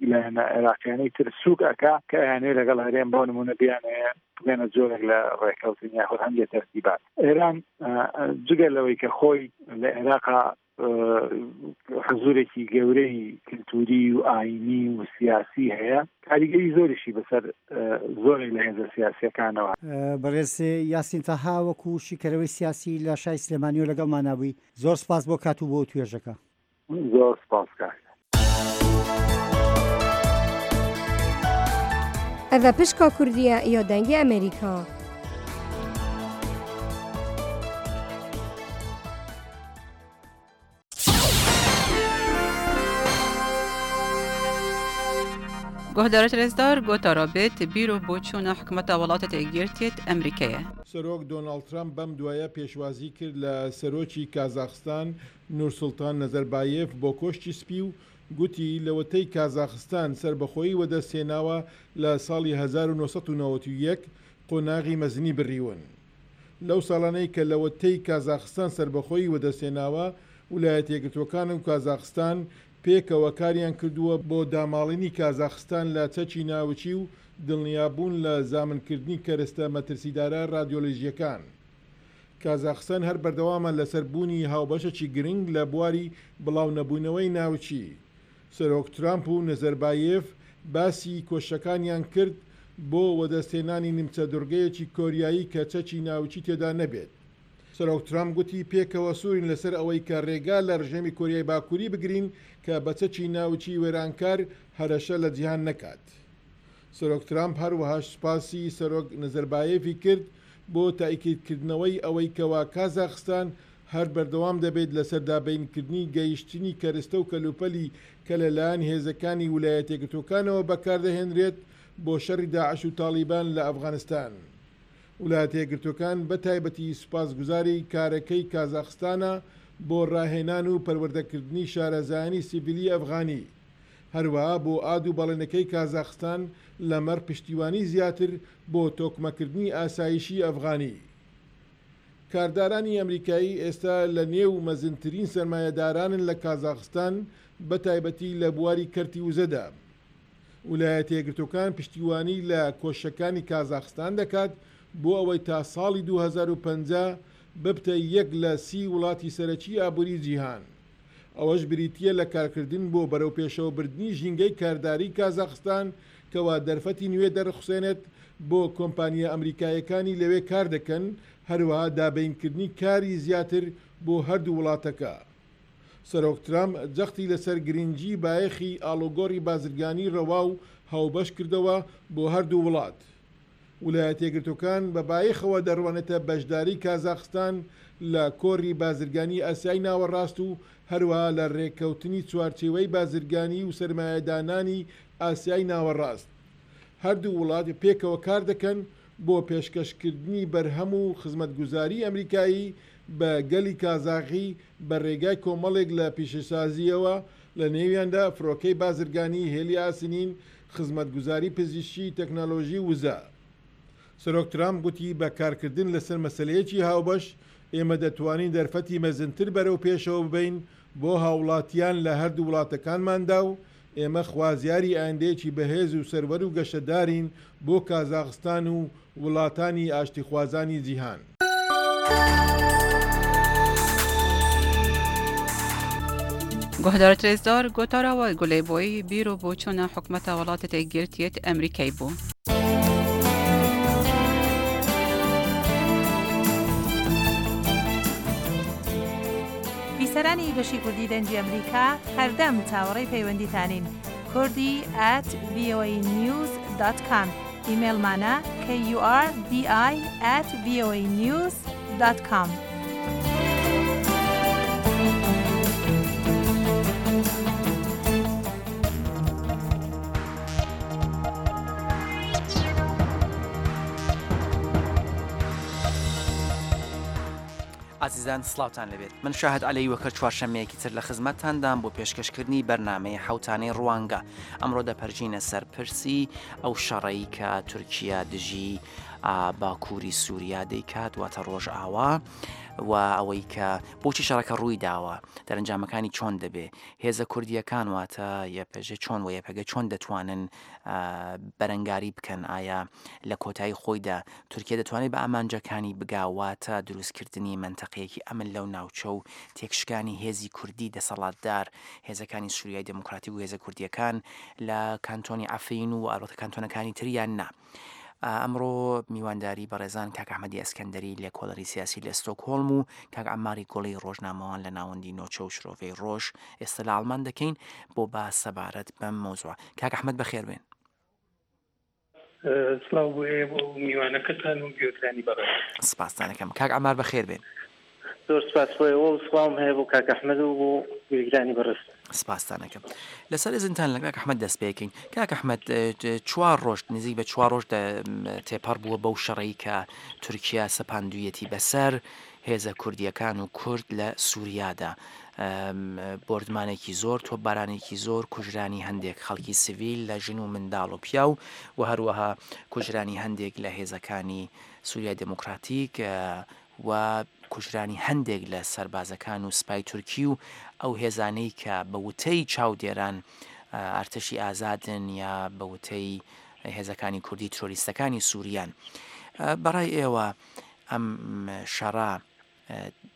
لایەنە عێراقیانەی تر سووک ئەکا کە ئەیانەوێ لەگەڵ هەرێم بۆ نموونە بیانەوێ بگەنە جۆرێک لە ڕێککەوتن یاخود هەندێک تەرتیبات. ئێران جگە لەوەی کە خۆی لە عێراقا حزوورێکی گەورەی کلتوری و ئایینی و سیاسی هەیە، کاریگەری زۆریشی بەسەر زۆرێک لە هێزە سیاسییەکانەوە. بەڕێز یاسین تەها وەکو شیکەرەوەی سیاسی لە شاری سلێمانیەوە لەگەڵمانا بووی، زۆر سوپاس بۆ کات و بۆ وتوێژەکە. زۆر سوپاس کاک. ئەڤە پشکا کوردیە یا دەنگی ئەمریکا. گۆهدارت رێزدار گۆتارا بێت بیر و بۆچوونە حکومەتە وڵاتە یەکگرتیت ئەمریکایە. سەرۆک دۆناڵد ترەمپ بەم دوایە پێشوازی کرد لە سەرۆکی کازاخستان نورسوڵتان نەزەربایێف بۆ کۆشکی سپی و گوتی لەوەتەی کازاخستان سەربەخۆیی وەدەستهێناوە لە ساڵی هەزار و نۆ سەد و نەوەد و یەک قۆناغی مەزنی بڕیون. لەو ساڵانەی کە لەوەتەی کازاخستان سەربەخۆیی وەدەستهێناوە، ولایەتەیەکگرتووەکان و کازاخستان پێکەوە کاریان کردووە بۆ داماڵینی کازاخستان لە چەکی ناوکی و دڵنیابوون لە زامنکردنی کەرەستە مەترسیدارە ڕادیۆلۆژییەکان. کازاخستان هەر بەردەوامە لەسەر بوونی هاوبەشێکی گرنگ لە بواری بڵاونەبوونەوەی ناوکی. سەرۆک ترامپ و نەزەربایێف باسی کۆششەکانیان کرد بۆ وەدەستهێنانی نیمچە دوڕگەیەکی کۆریایی کە چەکی ناوکی تێدا نەبێت. سەرۆک ترامپ گوتی پێکەوە سوورین لەسەر ئەوەی کە رێگا لە رژێمی کۆریای باکووری بگرین کە بە چەکی ناوکی وێرانکار هەرەشە لە جیهان نەکات. سەرۆک ترامپ هەروەهاش سوپاسی سەرۆک نەزەربایێفی کرد بۆ تائیکیدکردنەوەی ئەوەی کەوا کازاخستان هەر بەردەوام دەبێت لەسەر دابینکردنی گەیشتنی کەرستە و کەلوپەلی کە لەلایەن هێزەکانی ولایەتیەکگرتووەکانەوە بەکاردەهێنرێت بۆ شەڕی داعش و تاڵیبان لە ئەفغانستان. ولایەتەیەکگرتووەکان بە تایبەتی سوپاسگوزاری کارەکەی کازاخستانە بۆ ڕاهێنان و پەروەردەکردنی شارەزایانی سیڤیلی ئەفغانی، هەروەها بۆ ئاد و بەڵێنەکەی کازاخستان لەمەڕ پشتیوانی زیاتر بۆ تۆکمەکردنی ئاسایشی ئەفغانی. کاردارانی ئەمریکایی ئێستا لە نێو مەزنترین سەرمایەدارانن لە کازاخستان بە تایبەتی لە بواری کەرتی وزەدا. ولایەتەیەکگرتووەکان پشتیوانی لە کۆششەکانی کازاخستان دەکات بۆ ئەوەی تا ساڵی دوو هەزار و پەنجا ببتە یەک لە سی وڵاتی سەرەکی ئابووری جیهان. ئەوەش بریتییە لە کارکردن بۆ بەرەوپێشەوەبردنی ژینگەی کارداری کازاخستان کەوا دەرفەتی نوێ دەرخسێنێت بۆ کۆمپانیا ئەمریکاییەکانی لەوێ کاردەکەن، هەروەها دابینکردنی کاری زیاتر بۆ هەردوو وڵاتەکە. سەرۆک ترامپ جەختی لەسەر گرنگی بایەخی ئاڵوگۆڕی بازرگانی ڕەوا و هاوبەش کردەوە بۆ هەردوو وڵات. ولایەتەیەکگرتووەکان بە بایەخەوە دەڕوانێتە بەشداری کازاخستان لە کۆڕی بازرگانی ئاسیای ناوەڕاست و هەروەها لە رێککەوتنی چوارچێوەی بازرگانی و سەرمایەدانانی ئاسیای ناوەڕاست. هەردوو وڵات پێکەوە کاردەکەن بۆ پێشکەشکردنی بەرهەم و خزمەتگوزاری ئەمریکایی بە گەلی کازاخی بە رێگای کۆمەڵێک لە پیشەسازییەوە، لە نێویاندا فرۆکەی بازرگانی، هێلی ئاسنین، خزمەتگوزاری پزیشکی، تەکنەلۆژی و وزە. سەرۆک ترامپ گوتی بە کارکردن لەسەر مەسەلەیەکی هاوبەش، ئێمە دەتوانین دەرفەتی مەزنتر بەرەو پێشەوە ببەین بۆ هاوڵاتیان لە هەردوو وڵاتەکانماندا و ئێمە خوازیاری ئایندەیەکی بەهێز و سەروەر و گەشەدارین بۆ کازاخستان و وڵاتانی ئاشتیخوازانی جیهان. گۆهدارت رێزدار گۆتارا وە گولەی بۆی بیر و بۆچوونە حکومەتە وڵاتە یەکگرتیت ئەمریکای بوو. بیسەرانی بەشی کوردی دەنگی ئەمریکا هەردەم چاوەڕێی پەیوەندیتانین. کوردی at V O A news dot com ئیمەیڵمانە K U R D I at V O A news dot com. ئازیزان سڵاوتان لەبێت من شاهد عەلەی وەکەر چوارشەممەیەکی تر لە خزمەتتاندام بۆ پێشکەشکردنی بەرنامەی حەوتانەی ڕوانگە ئەمڕۆ دەپەرژینە سەر پرسی ئەو شەڕەی کە تورکیا دژی باکووری سووریا دەیکات واتە ڕۆژئاوا و ئەوەی کە بۆچی شەڕەکە ڕووی داوە دەرەنجامەکانی چۆن دەبێ هێزە کوردیەکان واتە یەپەژە چۆن و یەپەگە چۆن دەتوانن بەرەنگاری بکەن ئایا لە کۆتایی خۆیدا تورکیا دەتوانێت بە ئامانجەکانی بگا واتە دروستکردنی مەنتەقەیەکی ئەمن لەو ناوچە و تێکشکانی هێزی کوردی دەسەڵاتدار هێزەکانی سووریای دێموکراتیک و هێزە کوردیەکان لە کانتۆنی عەفرین و ئەلبەتە کانتۆنەکانی تریان نا. ئەمڕۆ میوانداری بەڕێزان کاک ئەحمەدی ئەسکەندەری لێکۆڵەری سیاسی لە ستۆکهۆڵم و کاک عەمماری گوڵی ڕۆژنامەوان لە ناوەندی نۆچە و شرۆڤەی ڕۆژ ئێستا لە ئاڵمان دەکەین بۆ باس سەبارەت بەم مەوزوعە. کاک ئەحمەد بەخێر بێن. سڵاو بۆ ئێوە و میوانەکەتان و گوێگرانی بەڕێز. سپاستان ئەکەم. کاک عەمار بەخێر بێن. زۆر سپاس بۆ ئێوە و سڵاوم هەیە بۆ کاک ئەحمەد و بۆ گوێگرانی بەڕێز. سپاستان ئەکەم. لەسەر ئیزنتان لە کاک ئەحمەد دەست پێکەین. کاک ئەحمەد چوار ڕۆژ نزیک بە چوار ڕۆژ تێپەڕ بووە بەو شەڕەی کە تورکیا سەپاندوویەتی بەسەر هێزە کوردییەکان و کورد لە سووریادا. بۆردمانێکی زۆر، تۆپبارانێکی زۆر، کوژرانی هەندێک خەڵکی سڤیل لە ژن و منداڵ و پیاو و هەروەها کوژرانی هەندێک لە هێزەکانی سووریای دێموکراتیک و کوژرانی هەندێک لە سەربازەکان و سپای تورکی و ئەو هێزانەی کە بە وتەی چاودێران ئەرتەشی ئازادن یا بە وتەی هێزەکانی کوردی ترۆریستەکانی سووریان. بەڕای ئێوە ئەم شەڕە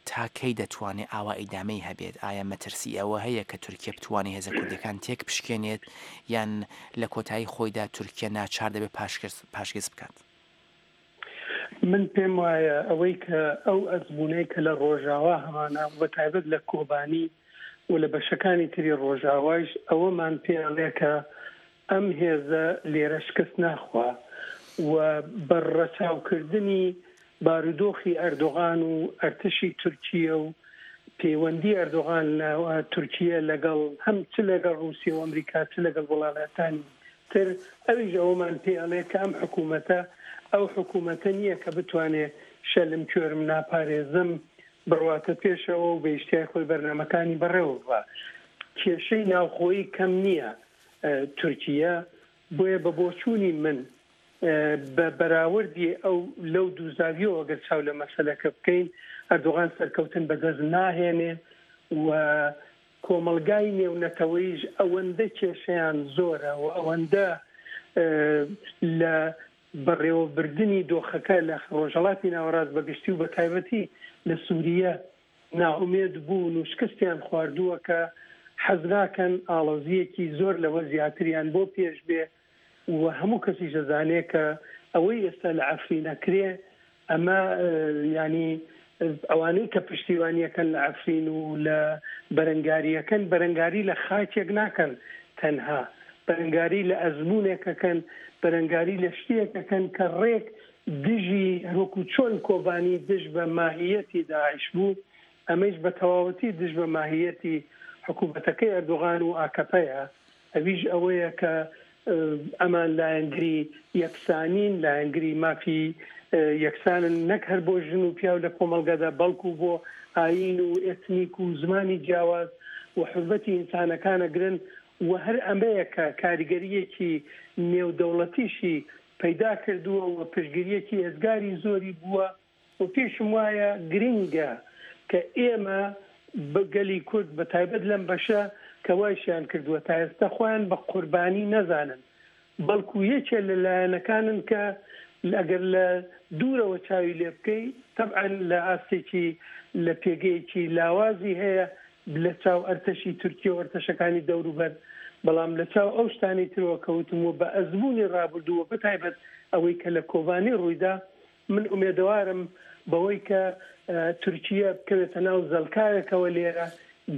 تا کەی دەتوانێت ئاوا ئیدامەی هەبێت؟ ئایا مەترسی ئەوە هەیە کە تورکیە بتوانێت هێزە کوردیەکان تێک بشکێنێت یان لە کۆتایی خۆیدا تورکیە ناچار دەبێت پاشگەز بکات؟ من پێم وایە ئەوەی کە ئەو ئەزمونەی کە لە ڕۆژاوا هەمانە و بە تایبەت لە کۆبانی و لە بەشەکانی تری ڕۆژاوایش ئەوەمان پێ ئەڵێ کە ئەم هێزە لێرە شکست ناخوا و بە ڕەچاوکردنی بارودۆخی ئەردۆغان و ئەرتەشی تورکیە و پەیوەندی ئەردۆغان لە تورکیە لەگەڵ هەم چ لەگەڵ ڕووسیا و ئەمریکا چ لەگەڵ وڵاتانی تر، ئەویش ئەوەمان پێ ئەڵێ کە ئەم حکوومەتە ئەو حکوومەتە نییە کە بتوانێ شەلم کوێرم ناپارێزم بڕواتە پێشەوە و بە ئیشتیای خۆی بەرنامەکانی بەڕێوە ببا. کێشەی ناوخۆیی کەم نییە تورکیە، بۆیە بە بۆچوونی من بە بەراوردی ئەو لەو دوو زاویەوە ئەگەر چاو لە مەسەلەکە بکەین، ئەردۆغان سەرکەوتن بەدەست ناهێنێ و کۆمەڵگای نێونەتەوەیش ئەوەندە کێشەیان زۆرە و ئەوەندە لە بەڕێوەبردنی دۆخەکە لە ڕۆژهەڵاتی ناوەڕاست بەگشتی و بە تایبەتی لە سووریە ناومێد بوون و شکستیان خواردووە کە حەز ناکەن ئاڵۆزییەکی زۆر لەوە زیاتریان بۆ پێش بێ و هەموو کەسیش دەزانێ کە ئەوەی ئێستا لە عەفرین ئەکرێ ئەمە ینی ئەوانەی کە پشتیوانیەکەن لە عەفرین و لە بەرەنگاریەکەن بەرەنگاری لە خاکێک ناکەن، تەنها بەرەنگاری لە ئەزمونێکەکەن، بەرەنگاری لە شتێکەکەن کە ڕێک دژی هەروەکو چۆن کۆبانی دژ بە ماهیەتی داعش بوو، ئەمەیش بە تەواوەتی دژ بە ماهیەتی حکوومەتەکەی ئەردۆغان و ئاکەپەیە. ئەویش ئەوەیە کە ئەمان لایەنگری یەکسانین، لایەنگری مافی یەکسانن نەک هەر بۆ ژن و پیاو لە کۆمەڵگەدا، بەڵکو بۆ ئایین و ئێتنیک و زمانی جیاواز و حورمەتی ئینسانەکانەگرن و هەر ئەمەیە کە کاریگەریەکی نێودەوڵەتیشی پەیدا کردووە و پشتگیریەکی ئێزگاری زۆری بووە و پێشم وایە گرنگە کە ئێمە بە گەلی کورد بە تایبەت لەم بەشە کە وایشیان کردووە تا ئێستا خۆیان بە قوربانی نەزانن، بەڵکو یەکێ لە لایەنەکانن کە ئەگەر لە دوورەوە چاوی لێ بکەی تەبعەن لە ئاستێکی لە پێگەیەکی لاوازی هەیە لە چاو ئەرتەشی تورکیە و ئەرتەشەکانی دەوروبەر، بەڵام لە چاو ئەو شتانەی ترەوە کەوتم و بە ئەزموونی ڕابردوو و بەتایبەت ئەوەی کە لە کۆبانی ڕوویدا، من ئومێدەوارم بەوەی کە تورکیە بکەوێتە ناو زەلکاوێکەوە لێرە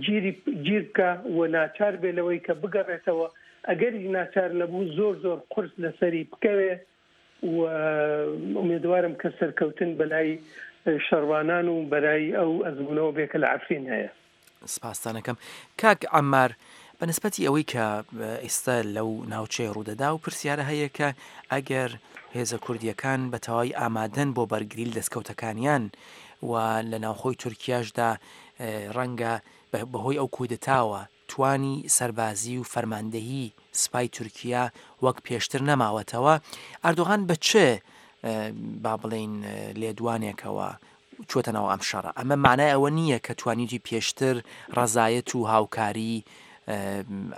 گیری گیر بکە و ناچار بێ لەوەی کە بگەڕێتەوە، ئەگەریش ناچار نەبوو زۆر زۆر قورس لەسەری بکەوێ و ئومێدوارم کە سەرکەوتن بەلای شەڕوانان و بەرای ئەو ئەزمونەوە بێ کە لە عەفرین هەیە. سپاستانەکەم کاک عەمار، بە نسبەتی ئەوەی کە ئێستا لەو ناوچەیە ڕوودەدا و پرسیارە هەیە کە ئەگەر هێزە کوردیەکان بە تەواوی ئامادەن بۆ بەرگری لە دەستکەوتەکانیان و لە ناوخۆی تورکیاشدا ڕەنگە بەهۆی ئەو کودەتاوە توانی سەربازی و فەرماندەهی سپای تورکیا وەک پێشتر نەماوەتەوە، ئەردۆغان بە چ با بڵێین لێدوانێکەوە چووەتە ناو ئەم شەڕە؟ ئەمە معنای ئەوە نییە کە توانیوتی پێشتر ڕەزایەت و هاوکاری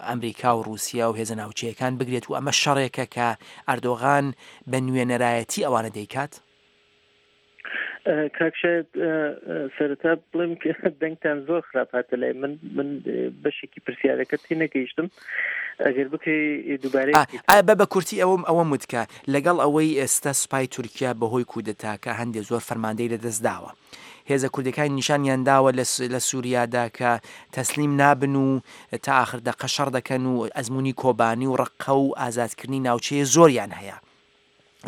ئەمریکا و رووسیا و هێزە ناوچەیەکان بگرێت و ئەمە شەڕێکە کە ئەردۆغان بە نوێنەرایەتی ئەوانە دەیکات؟ کاک شاید سەرەتا بڵێم کە دەنگتان زۆر خراپ هاتە لای من، من بەشێکی پرسیارەکە تێنەگەیشتم، ئەگەر بکەی دووبارەی بکەیتەوە. بە بە کورتی ئەوەم ئەوەم وت کە لەگەڵ ئەوەی ئێستا سوپای تورکیا بەهۆی کودەتاکە هەندێ زۆر فەرماندەی لەدەست داوە، هێزە کوردەکانی نیشانیان داوە لە سووریادا کە تەسلیم نابن و تا ئاخر دەقە شەڕ دەکەن و ئەزمموی کۆبانی و ڕقە و ئازادکردنی ناوچەیە زۆریان هەیە.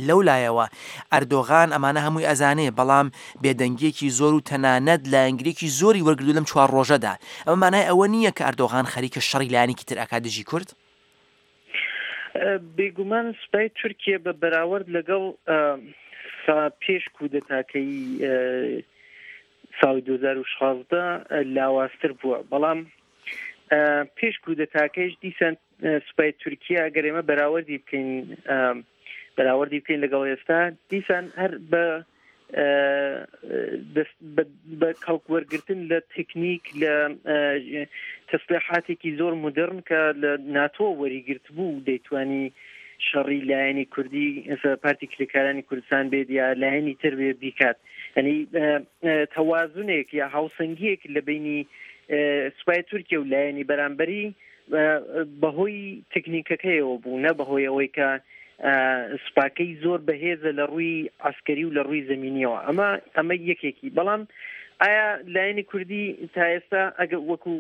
لەو لایەوە ئەردۆغان ئەمانە هەمووی ئەزانێ، بەڵام بێدەنگییەکی زۆر و تەنانەت لایەنگرییەکی زۆری وەرگرتووە لەم چوار ڕۆژەدا. ئەمە مانای ئەوە نییە کە ئەردۆغان خەریکە شەڕی لایەنێکی تر ئەکات دژی کورد؟ بێگومان سوپای تورکیە بە بەراورد لەگەڵ پێش کودەتاکەی ساڵی دوو هەزار و شازدە لاوازتر بووە، بەڵام پێش کودەتاکەیش دیسان سوپای تورکیا ئەگەر ئێمە بەراوردی بکەین بەراوردی بکەین لەگەڵ ئێستا، دیسان هەر بە بە کەڵک وەرگرتن لە تەکنیک لە تەسلیحاتێکی زۆر مدرن کە لە ناتۆ وەریگرت بوو دەیتوانی شەڕی لایەنی کوردی پارتی کرێکارانی کوردستان بێت یا لایەنی تر بێ بیکات. یعنی تەوازنێک یا هاوسەنگیەک لە بینی سوپای تورکیا و لایەنی بەرامبەری بەهۆی تەکنیکەکەیەوە بوو، نە بەهۆی ئەوەی کە سوپاکەی زۆر بەهێزە لە ڕووی عسکەری و لە ڕووی زەمینیەوە. ئەمە ئەمە یەکێکی. بەڵام ئایا لایەنی کوردی تا ئێستا ئەگەر وەکو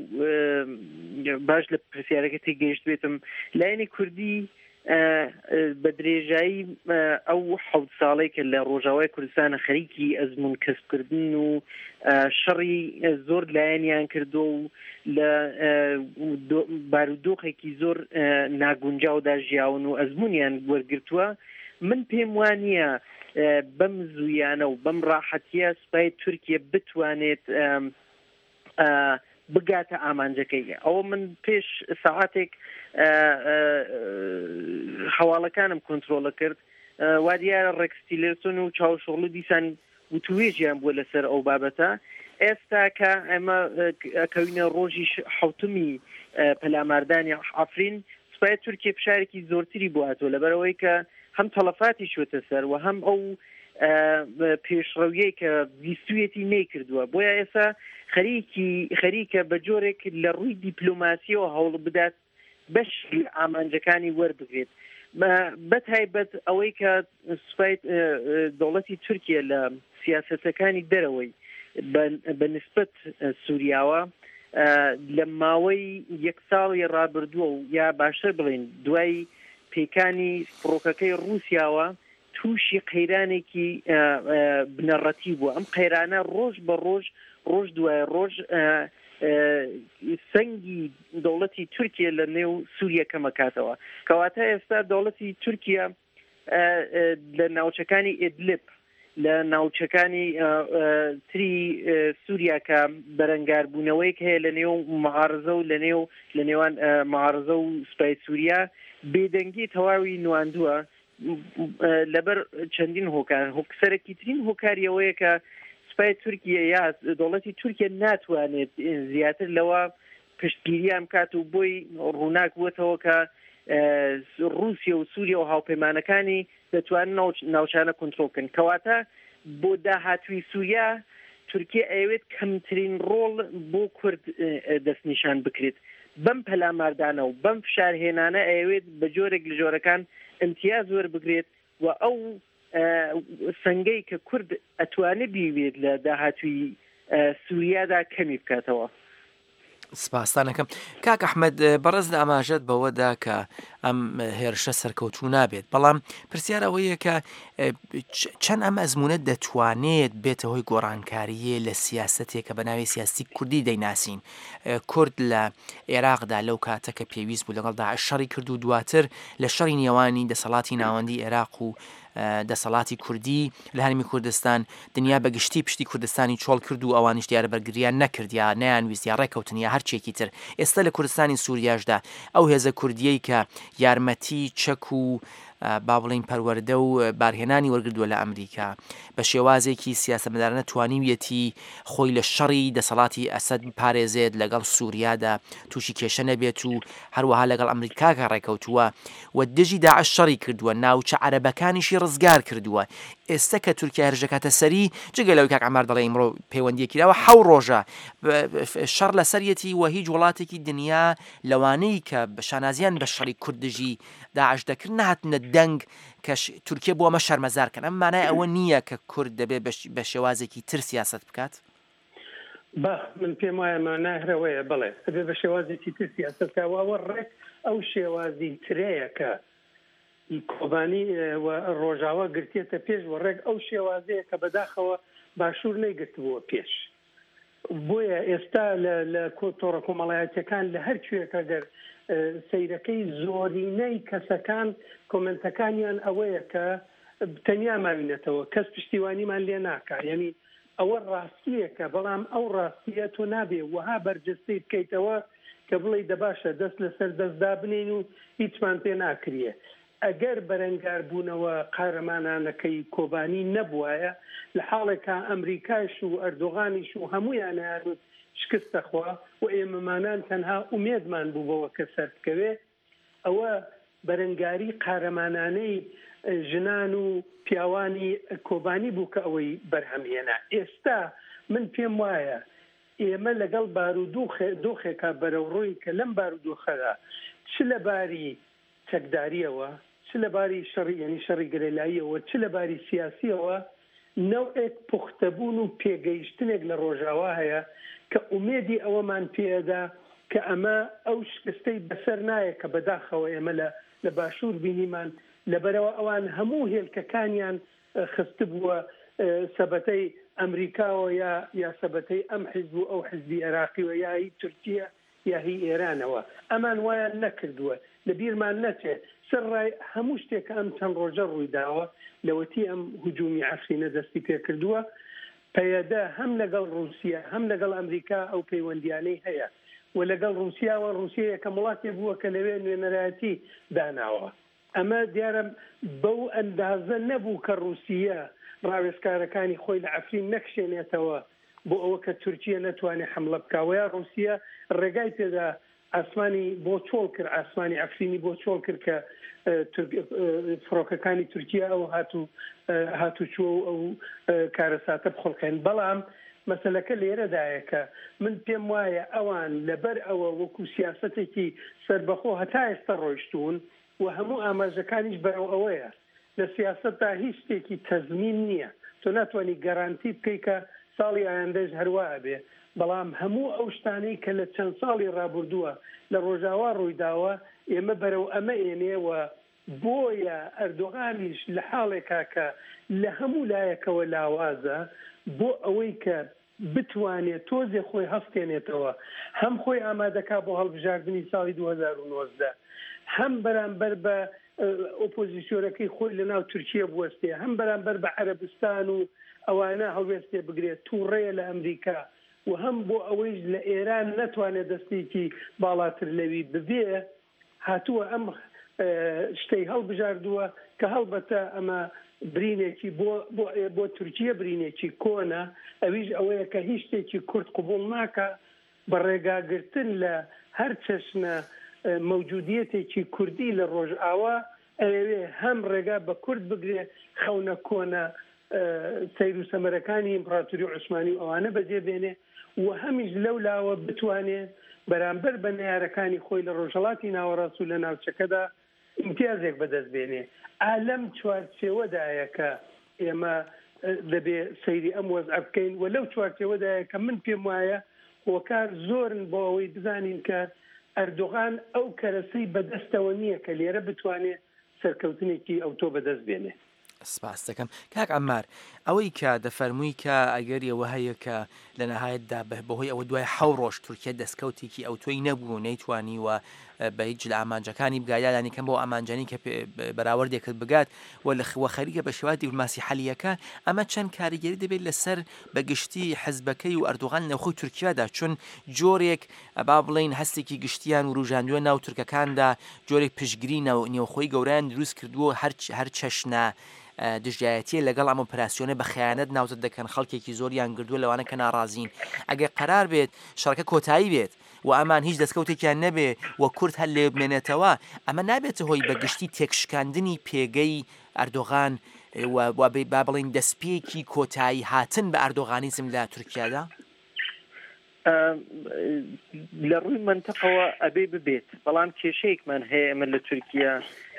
باش لە پرسیارەکە تێگەیشت بێتم، لایەنی کوردی بە درێژایی ئەو حەوت ساڵەی کە لە ڕۆژاوای کوردستانە خەریکی ئەزمون کەسبکردن و شەڕی زۆر لایەنیان کردو و لە بارودۆخێکی زۆر ناگونجاودا ژیاون و ئەزمونیان وەرگرتووە، من پێم وانییە بەم زوویانە و بەم ڕاحەتیە سوپای تورکیە بتوانێت بگاتە ئامانجەکەی. ئەوە من پێش سەعاتێک هەواڵەکانم کۆنترۆڵە کرد، وا دیارە ڕێکس تیلێرسۆن و چاوشۆغڵو دیسان وتوێژیان بووە لەسەر ئەو بابەتە. ئێستا کە ئێمە کەوینە ڕۆژی حوتمی پەلاماردانی عەفرین، سوپای تورکیا فشارێکی زۆرتری بۆ هاتووە لەبەرەوەی کە هەم تەلەفاتی چۆتە سەر و هەم ئەو پێشڕەویەی کە ویستویەتی نەیکردووە. بۆیە ئێستا خەریکی خەریکە بە جۆرێک لە ڕووی دیپلۆماسیەوە هەوڵ بدات بەش ئامانجەکانی وەربگرێت، بە تایبەت ئەوەی کە سوپای دەوڵەتی تورکیا لە سیاسەتەکانی دەرەوەی بە نسبەت سووریاوە لە ماوەی یەک ساڵی ڕابردووە و یا باشتر بڵین دوای پێکانی فڕۆکەکەی ڕووسیاوە تووشی قەیرانێکی بنەڕەتی بووە. ئەم قەیرانە ڕۆژ بە ڕۆژ ڕۆژ دوای ڕۆژ سەنگی دەوڵەتی تورکیا لە نێو سووریا کەمەکاتەوە. کەواتە ئێستا دەوڵەتی تورکیا لە ناوچەکانی ئیدلب، لە ناوچەکانی تری سووریا کە بەرەنگاربوونەوەیەک هەیە لە نێو معارزە و لە نێو لە نێوان معارزە و سوپای سووریا، بێدەنگی تەواوی نواندووە لەبەر چەندین هۆکار. سەرەکیترین هۆکاری ئەوەیە کە سوپای تورکیا یا دەوڵەتی تورکیا ناتوانێت زیاتر لەوە پشتگیریان بکات و بۆی ڕووناک بووەتەوە کە ڕووسیا و سووریا و هاوپەیمانەکانی دەتوانن ناوچانە کۆنترۆڵ بکەن. کەواتە بۆ داهاتووی سووریا تورکیا ئەیەوێت کەمترین ڕۆڵ بۆ کورد دەستنیشان بکرێت. بەم پەلاماردانە و بەم فشارهێنانە ئەیەوێت بە جۆرێک لە جۆرەکان امتیاز وەربگرێت و ئەو سەنگەی کە کورد ئەتوانێت بیوێت لە داهاتووی سووریادا کەمی بکاتەوە. سپاستانەکەم. کاک ئەحمەد، بەڕێز لە ئاماژەت بەوەدا کە ئەم هێرشە سەرکەوتوو نابێت، بەڵام پرسیار ئەوەیە کە چەند ئەم ئەزمونە دەتوانێت بێتە هۆی گۆڕانکاریە لە سیاسەتێک کە بە ناوی سیاسی کوردی دەیناسین. کورد لە عێراقدا لەو کاتە کە پێویست بوو لەگەڵ داعش شەڕی کرد و دواتر لە شەڕی نێوانی دەسەڵاتی ناوەندی عێراق و دەسەڵاتی کوردی لە هەرێمی کوردستان دنیا بە گشتی پشتی کوردستانی چۆڵ کرد و ئەوانیش دیارە بەرگریان نەکرد یا نەیانویست یا ڕێکەوتن یا هەرچێکی تر. ئێستا لە کوردستانی سووریاشدا ئەو هێزە کوردیەی کە یارمەتی چەک و با بڵین پەروەردە و بارهێنانی وەرگردووە لە ئەمریکا بە شێوازێکی سیاسەتمەدارانە توانیویەتی خۆی لە شەڕی دەسەڵاتی ئەسەد بپارێزێت، لەگەڵ سووریادا تووشی کێشە نەبێت و هەروەها لەگەڵ ئەمریکاکە ڕێکەوتووە و دژی داعش شەڕی کردووە، ناوچە عەرەبەکانیشی ڕزگار کردووە. ئێستا کە تورکیا هێرش دەکاتە سەری، جگە لەوەی کاک عەمار دەڵێ ئیمڕۆ پەیوەندیەکی داوە، حەو ڕۆژە شەڕ لەسەریەتی و هیچ وڵاتێکی دنیا لەوانەی کە شانازیان بە شەڕی کورد دژی داعش دەکرد نەهاتنە دەنگ کە تورکیا بۆ ئەمە شەرمەزار کەن. ئەم مانای ئەوە نییە کە کورد دەبێت بە شێوازێکی تر سیاسەت بکات؟ با من پێم وایە مانای هەرەوەیە، بەڵێ دەبێت بە شێوازێکی تر سیاسەت بکات و ئەوە ڕێک ئەو شێوازی ترەیە کە کۆبانی و ڕۆژاوا گرتێتە پێش و ڕێک ئەو شێوازەیە کە بەداخەوە باشوور نەیگرتبووە پێش. بۆیە ئێستا لە تۆڕە کۆمەڵایەتیەکان لە هەر کوێکە گەر سەیرەکەی زۆرینەی کەسەکان کۆمنتەکانیان ئەوەیە کە تەنیا ماوینەتەوە، کەس پشتیوانیمان لێ ناکا. یعنی ئەوە ڕاستیەکە، بەڵام ئەو ڕاستیە تۆ نابێ وەها بەرجەستەی بکەیتەوە کە بڵێ دەباشە دەست لەسەر دەستدا بنین و هیچمان پێ ناکرێ. ئەگەر بەرەنگاربوونەوە قارەمانانەکەی کۆبانی نەبوایە، لە حاڵێکا ئەمریکاش و ئەردۆغانیش و هەمویانیان شکستەخوا و ئێمەمانان تەنها ئومێدمان بوو بەوە کە سەر بکەوێ، ئەوە بەرەنگاری قارەمانانەی ژنان و پیاوانی کۆبانی بوو کە ئەوەی بەرهەمهێنا. ئێستا من پێم وایە ئێمە لەگەڵ بارودۆخێکا بەرەوڕووین کە لەم بارودۆخەدا چ لە باری چەکداریەوە، چ لە باری شەڕی یعنی شەڕی گەریلاییەوە، چ لە باری سیاسیەوە، نەوعێک پوختەبوون و پێگەیشتنێک لە ڕۆژاوا هەیە کە ئومێدی ئەوەمان پێدا کە ئەمە ئەو شکستەی بەسەر نایە کە بەداخەوە ئێمە لە باشوور بینیمان. لەبەرەوە ئەوان هەموو هێلکەکانیان خستبووە سەبەتەی ئەمریکاوە یا یا سەبەتەی ئەم حیزب و ئەو حیزبی عێراقیوە یا هی تورکیا یا هی ئێرانەوە. ئەمان وایان نەکردووە. لەبیرمان نەچێت سەر ڕای هەموو شتێک کە ئەم چەند ڕۆژە ڕوویداوە لەوەتی ئەم هجومی عەفرینە دەستی پێکردووە، پەیەدە هەم لەگەڵ ڕووسیا هەم لەگەڵ ئەمریکا ئەو پەیوەندیانەی هەیە و لەگەڵ ڕووسیاوە ڕووسیا یەکەم وڵاتێ بووە کە لەوێ نوێنەرایەتی داناوە. ئەمە دیارە بەو ئەندازە نەبوو کە ڕووسیا ڕاوێژکارەکانی خۆی لە عەفرین نەکشێنێتەوە بۆ ئەوە کە تورکیا نەتوانێت حملە بکاوە، یا ڕووسیا ڕێگای پێدا ئاسمانی بۆ چۆڵ کرد، ئاسمانی عەفرینی بۆ چۆڵ کرد کە فڕۆکەکانی تورکیا ئەو هاتوچووە و ئەو کارەساتە بخڵقێن. بەڵام مەسەلەکە لێرەدایە کە من پێم وایە ئەوان لەبەر ئەوە وەکو سیاسەتێکی سەربەخۆ هەتا ئێستا ڕۆیشتوون و هەموو ئاماژەکانیش بەرەو ئەوەیە. لە سیاسەتدا هیچ شتێکی تەزمین نییە، تۆ ناتوانانی گەرانتی بکەی کە ساڵی ئایندەش هەروە ئەبێ، بەڵام هەموو ئەو شتانەی کە لە چەند ساڵی ڕابردووە لە ڕۆژاوا ڕوویداوە ئێمە بەرەو ئەمە ئێنێوە. بۆیە ئەردۆغانیش لە حاڵێکا کە لە هەموو لایەکەوە لاوازە بۆ ئەوەی کە بتوانێت تۆزێ خۆی هەستێنێتەوە، هەم خۆی ئامادەکا بۆ هەڵبژاردنی ساڵی دوو هەزار و نۆزدە، هەم بەرامبەر بە ئۆپۆزیسیۆنەکەی خۆی لەناو تورکیا بوەستێ، هەم بەرامبەر بە عەرەبستان و ئەوانە هەڵوێستێ بگرێت، تووڕەیە لە ئەمریکا و هەم بۆ ئەوەیش لە ئێران نەتوانێت دەستێکی باڵاتر لەوی ببێ، هاتووە ئەم شتەی هەڵبژاردووە کە هەڵبەتە ئەمە برینێکی بۆ بۆ تورکیا برینێکی کۆنە، ئەویش ئەوەیە کە هیچ شتێکی کورد قبوڵ ناکە بە ڕێگاگرتن لە هەر چەشنە مەوجودیەتێکی کوردی لە ڕۆژئاوا، ئەوێ هەم ڕێگا بە کورد بگرێ خەونە کۆنە سەیر و سەمەرەکانی ئیمپراتوری عوسمانی و ئەوانە بەجێ بێنێ و هەمیش لەو لاوە بتوانێ بەرامبەر بە نەیارەکانی خۆی لە ڕۆژهەڵاتی ناوەڕاست و لە ناوچەکەدا ئیمتیازێک بەدەست بێنێ. ئالەم چوارچێوەدایە کە ئێمە دەبێ سەیری ئەم وەزعە بکەین و لەو چوارچێوەدایە کە من پێم وایە هۆکار زۆرن بۆ ئەوەی بزانین کە ئەردۆغان ئەو کەرەسەی بەدەستەوە نییە کە لێرە بتوانێت سەرکەوتنێکی ئەوتۆ بەدەست بێنێ. سپاس دەکەم. کاک عەممار، ئەوەی کە دەفەرمووی کە ئەگەر ئەوە هەیە کە لە نەهایەتدا بەهۆی ئەوە دوای حەو ڕۆژ تورکیا دەستکەوتێکی ئەوتۆی نەبوو، نەیتوانیوە بە هیچ لە ئامانجەکانی بگات، یا لانی کەم بۆ ئامانجانی کە بەراوردێکرد بگات و لە خەریکە بە شێوازی دیپلۆماسی حەلیەکە، ئەمە چەند کاریگەری دەبێت لەسەر بەگشتی حزبەکەی و ئەردۆغان نێوخۆی تورکیادا، چون جۆرێک با بڵین هەستێکی گشتیان وروژاندووە ناو تورکەکاندا، جۆرێک پشتگیری نێوخۆی گەورەیان دروست کردووە، هەر چەشنە دژایەتیە لەگەڵ ئەم ئۆپەراسیۆنە بە خیانەت ناوزەد دەکەن، خەڵکێکی زۆریان گردووە لەوانە کە ناڕازین. ئەگەر قەرار بێت شەڕەکە کۆتایی بێت و ئەمان هیچ دەستکەوتێکیان نەبێ و کورد هەر لێ بمێنێتەوە، ئەمە نابێتە هۆی بەگشتی تێکشکاندنی پێگەی ئەردۆغان و با بڵین دەستپێکی کۆتایی هاتن بە ئەردۆغانیزم لە تورکیادا؟ لە ڕووی منطقەوە ئەبێ ببێت، بەڵام کێشەیەکمان هەیە ئێمە لە تورکیا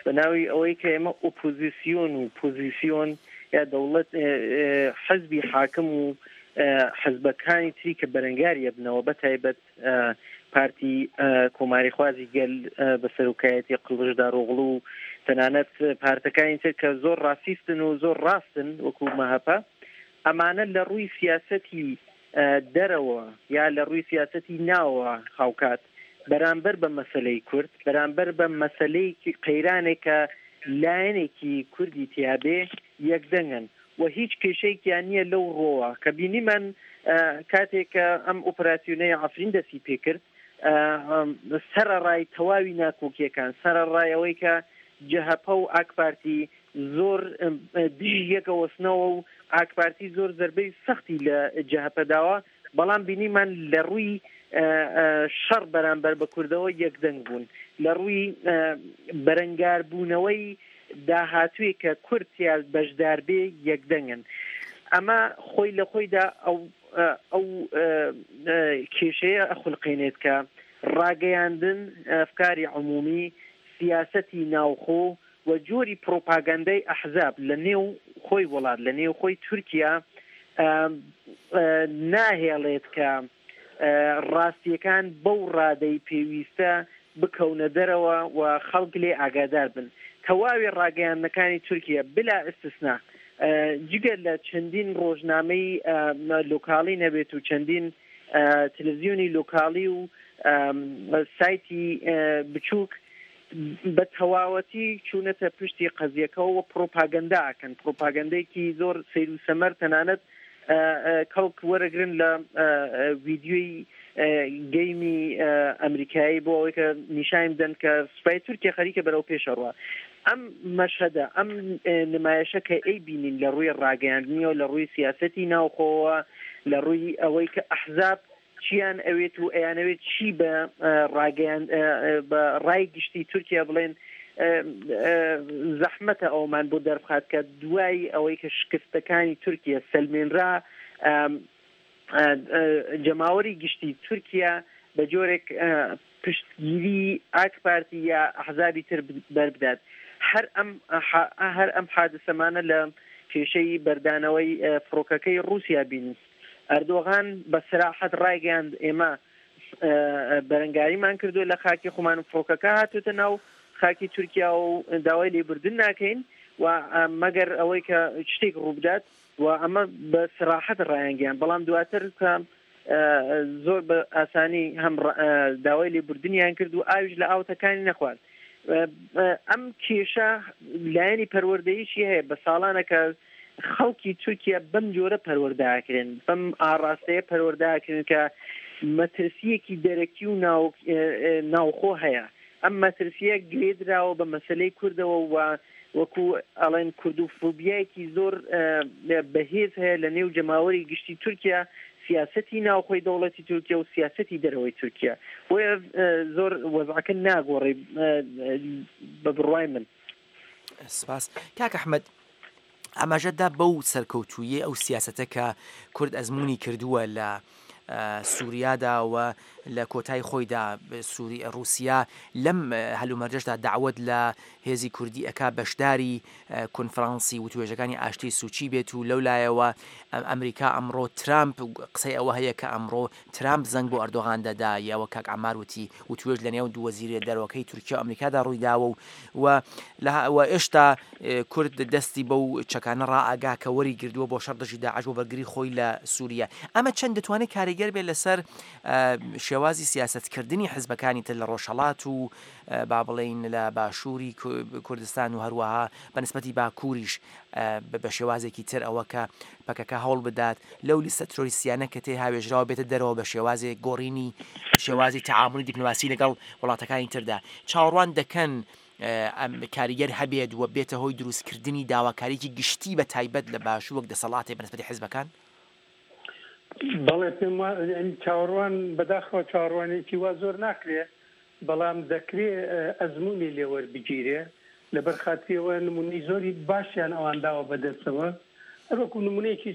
بە ناوی ئەوەی کە ئێمە ئۆپۆزیسیۆن و پۆزیسیۆن یا دەوڵەت حزبی حاکم و حزبەکانی تری کە بەرەنگاری ئەبنەوە، بە تایبەت پارتی کۆماریخوازی گەل بە سەرۆکایەتی قڵشدارۆغڵو و تەنانەت پارتەکانی تر کە زۆر ڕاستیستن و زۆر ڕاستن وەکو مەهەپە، ئەمانە لە ڕووی سیاسەتی دەرەوە یا لە ڕووی سیاسەتی ناوە هاوکات بەرامبەر بە مەسەلەی کورد، بەرامبەر بە مەسەلەیەکی قەیرانێک کە لایەنێکی کوردی تیابێ یەکدەنگن و هیچ کێشەیەکیان نییە لەو ڕۆوە کە بینیمان کاتێک کە ئەم ئۆپەراسیۆنەی عەفرین دەستی پێکرد سەرەڕای تەواوی ناکۆکیەکان، سەرەڕای ئەوەی کە جەهەپە و ئاک پارتی زۆر دژی یەکەوەستنەوە و ئاک پارتی زۆر زربەی سەختی لە جەهەپە داوە، بەڵام بینیمان لە ڕووی شەڕ بەرامبەر بە کوردەوە یەکدەنگ بوون، لە ڕووی بەرەنگاربوونەوەی داهاتووی کە کورد تیا بەشدار بێ یەکدەنگن. ئەمە خۆی لە خۆیدا ئەو ئەو کێشەیە ئەخولقێنێت کە ڕاگەیاندن، ئەفکاری عمومی، سیاسەتی ناوخۆ و جۆری پرۆپاگەندەی ئەحزاب لە نێو خۆی وڵات، لە نێو خۆی تورکیا ناهێڵێت کە ڕاستیەکان بەو ڕادەی پێویستە بکەونە دەرەوە و خەڵک لێ ئاگادار بن. تەواوی ڕاگەیاندنەکانی تورکیا بلا ئیستسنا جگە لە چەندین ڕۆژنامەی لۆکاڵی نەبێت و چەندین تەلەڤیزیۆنی لۆکاڵی و سایتی بچووک بە تەواوەتی چوونەتە پشتی قەزیەکەوە و پرۆپاگەندا ئەکەن، پرۆپاگەندەیەکی زۆر سەیر و سەمەر، تەنانەت کەڵک وەرەگرن لە ڤیدیۆی گەیمی ئەمریکایی بۆ ئەوەی کە نیشان بدەن کە سوپای تورکیا خەریکە بەرەو پێشەڕوە. ئەم مەشهەدە، ئەم نمایشە کە ئەی بینین لە ڕووی ڕاگەیاندنیەوە، لە ڕووی سیاسەتی ناوخۆوە، لە ڕووی ئەوەی کە ئەحزاب چیان ئەوێت و ئەیانەوێت چی بە ڕاگەیان بە ڕای گشتی تورکیا بڵێن، زەحمەتە ئەومان بۆ دەربخات کە دوای ئەوەی کە شکستەکانی تورکیا سەلمێنرا، جەماوەری گشتی تورکیا بە جۆرێک پشتگیری ئاک پارتی یا ئەحزابی تر بەربدات. هەر ئەم هەر ئەم حادثەمانە لە کێشەی بەردانەوەی فڕۆکەکەی ڕووسیا بینی. ئەردۆغان بە سراحەت ڕایگەیاند ئێمە بەرەنگاریمان کردو لە خاکی خۆمان و فڕۆکەکە هاتوتە ناو خاکی تورکیا و داوای لێبوردن ناکەین و مەگەر ئەوەی کە شتێک ڕووبدات و ئەمە بە سراحەت ڕایانگەیان. بەڵام دواتر کە زۆر بە ئاسانی هەم داوای لێبوردنیان کرد و ئاویش لە ئاوتەکانی نەخوارد. ئەم کێشە لایەنی پەروەردەییشی هەیە، بە ساڵانە کە خەڵکی تورکیا بەم جۆرە پەروەرداکرێن، بەم ئاڕاستەیە پەروەرداکرێن کە مەترسیەکی دەرەکی و ناوخۆ هەیە. ئەم مەترسیە گرێدراوە بە مەسلەی کوردەوە و وەکو ئەڵێن کوردوفۆبیایەکی زۆر بەهێز هەیە لە نێو جەماوەری گشتی تورکیا، سیاسەتی ناوخۆی دەوڵەتی تورکیا و سیاسەتی دەرەوەی تورکیا. بۆیە زۆر وەزعەکە ناگۆڕێ بە بڕوای من. سپاس. کاک ئەحمەد، ئاماژەدا بەو سەرکەوتوویەی ئەو سیاسەتە کە کورد ئەزمموی کردووە لە سووریادا و لە کۆتای خۆیدا سووری رووسیا لەم هەلومەرجەشدا داوت لە هێزی کوردی ئەکا بەشداری کۆنفرانسی وتوێژەکانی ئاشتی سوچی بێت و لەو لایەوە ئەمریکا ئەمڕۆ ترامپ قسەی ئەوە هەیە کە ئەمڕۆ ترامپ زەنگ بۆ ئەردۆغان دەدا، یاوە کاک عەمار وتی وتوێژ لە نێو دوو وەزیرە دەرەوەکەی تورکیا و ئەمریکادا ڕوویداوە و و ئێشتا کورد دەستی بەو چەکانە ڕائاگا کە وەری گردووە بۆ شەڕ دژی داعش بۆ بەرگری خۆی لە سووریا. ئەمە چەند دەتوانێت کاریگەر بێت لەسەر شێوازی سیاسەتکردنی حزبەکانی تر لە ڕۆژهەڵات و با بڵێین لە باشووری کوردستان و هەروەها بە نسبەتی باکووریش بە شێوازێکی تر ئەوە کە پەکەکە هەوڵ بدات لەو لیستە ترۆریستیانە کە تێ هاوێژراوە بێتە دەرەوە بە شێوازێک گۆڕینی شێوازی تەعامولی دیپلۆماسی لەگەڵ وڵاتەکانی تردا چاوەڕوان دەکەن ئەم کاریگەر هەبێت و بێتە هۆی دروستکردنی داواکاریکی گشتی بە تایبەت لە باشوور وەک دەسەڵاتێ بە نسبەتی حزبەکان؟ بەڵێ، پێم چاوەڕوان بەداخەوە چاوەڕوانێکی وا زۆر ناکرێ، بەڵام دەکرێ ئەزمموی لێوەربگیرێ. لەبەر خاتریەوە نمونەی زۆری باشیان ئەوان داوە بەدەستەوە. هەروەکو نمونەیەکی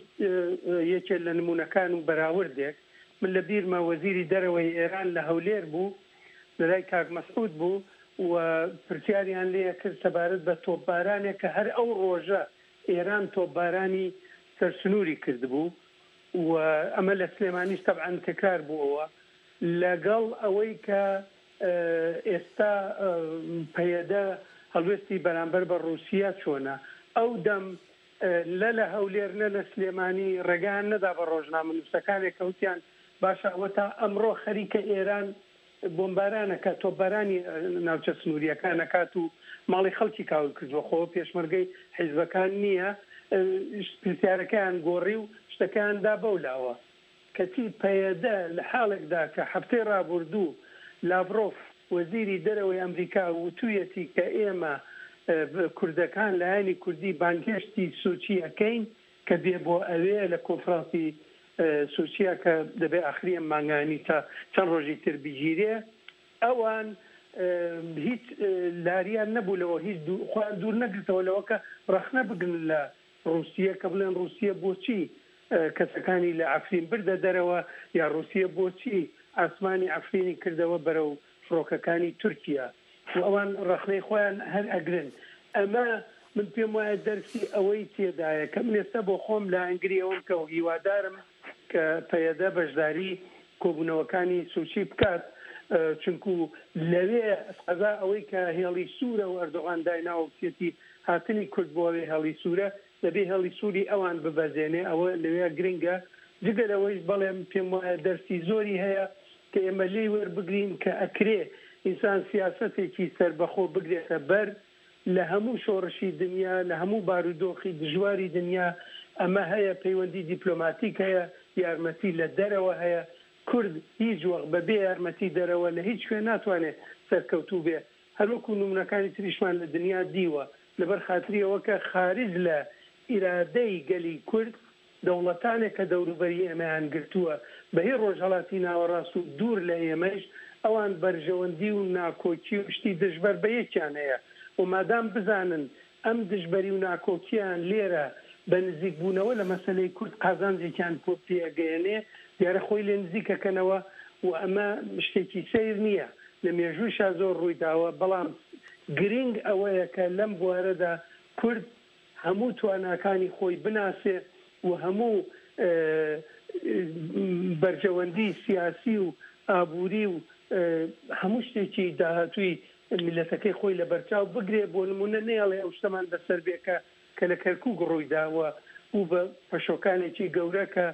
یەکێ لە نمونەکان و بەراوردێک، من لە بیرمە وەزیری دەرەوەی ئێران لە هەولێر بوو، لەلای کاک مەسعود بوو و پرسیاریان لێ کرد سەبارەت بە تۆپبارانێک کە هەر ئەو ڕۆژە ئێران تۆپبارانی سەرسنووری کردبوو و ئەمە لە سلێمانیش تەبعەن تکرار بووەوە، لەگەڵ ئەوەی کە ئێستا پەیەدە هەڵوێستی بەرامبەر بە ڕووسیا چۆنە. ئەو دەم نە لە هەولێر نە لە سلێمانی ڕێگایان نەدا بە ڕۆژنامەنووسەکانێک کە وتیان باشە ئەوە تا ئەمڕۆ خەریکە ئێران بۆمباران ئەکات، تۆپبارانی ناوچە سنوورییەکان ئەکات و ماڵی خەڵکی کاول کردووە، خۆ پێشمەرگەی حیزبەکان نییە، پرسیارەکەیان گۆڕی و شتەکەیان دا بەو لاوە. کەچی پەیەدە لە حاڵێکدا کە هەفتەی ڕابوردوو لاڤرۆف وەزیری دەرەوەی ئەمریکا وتوویەتی کە ئێمە کوردەکان لایەنی کوردی بانگهێشتی سوچی ئەکەین کە بێ بۆ ئەوێ لە کۆنفرانسی سوچیە کە دەبێ ئاخری ئەم مانگانی تا چەند ڕۆژی تر بگیرێ ئەوان هیچ لاریان نەبوو لەوە هیچ خۆیان دوور نەگرتەوە لەوە کە ڕەخنە بگرن لە ڕووسیە کە بڵێن ڕووسیە بۆچی کەسەکانی لە عەفرین بردە دەرەوە یا ڕووسیە بۆچی ئاسمانی عەفرینی کردەوە بەرەو فڕۆکەکانی تورکیا و ئەوان ڕەخنەی خۆیان هەر ئەگرن. ئەمە من پێم وایە دەرسی ئەوەی تێدایە کە من ئێستا بۆ خۆم لایەنگری ئەوەم کە هیوادارم کە پەیەدە بەشداری کۆبوونەوەکانی سوچی بکات، چونکو لەوێ قەزا ئەوەی کە هێڵی سوورە و ئەردۆغان دایناوە وتیەتی هاتنی کورد بۆ ئەوێ هێڵی سوورە، دەبێ هێڵی سووری ئەوان ببەزێنێ، ئەوە لەوێ گرنگە. جگە لەوەیش بەڵێ پێم وایە دەرسی زۆری هەیە کە ئێمە لێی وەربگرین کە ئەکرێ ئینسان سیاسەتێکی سەربەخۆ بگرێتە بەر لە هەموو شۆڕشی دنیا، لە هەموو بارودۆخی دژواری دنیا ئەمە هەیە، پەیوەندی دیپلۆماتیک هەیە، یارمەتی لە دەرەوە هەیە. کورد هیچ وەخت بە بێ یارمەتی دەرەوە لە هیچ کوێ ناتوانێت سەرکەوتوو بێ، هەروەکو نمونەکانی تریشمان لە دنیا دیوە، لەبەر خاتری ئەوە کە خارج لە ئیرادەی گەلی کورد دەوڵەتانێک کە دەوروبەری ئێمەیان گرتووە بە هی ڕۆژهەڵاتی ناوەڕاست و دوور لە ئێمەیش ئەوان بەرژەوەندی و ناکۆکی و شتی دژبەر بە یەکیان هەیە و مادام بزانن ئەم دژبەری و ناکۆکییان لێرە بە نزیک بوونەوە لە مەسەلەی کورد قازانجێکیان پێ ئەگەیەنێ دیارە خۆی لێ نزیک ئەکەنەوە و ئەمە شتێکی سەیر نییە لە مێژوویشا زۆر ڕووی داوە بەڵام گرینگ ئەوەیە کە لەم بوارەدا کورد هەموو تواناکانی خۆی بناسێ و هەموو بەرژەوەندی سیاسی و ئابووری و هەموو شتێکی داهاتووی میللەتەکەی خۆی لەبەرچاو بگرێ، بۆ نموونە نەیەڵێ ئەو شتەمان بەسەر بێ کە کە لە کەرکووک ڕووی دا و بوو بە پەشۆکانێکی گەورە کە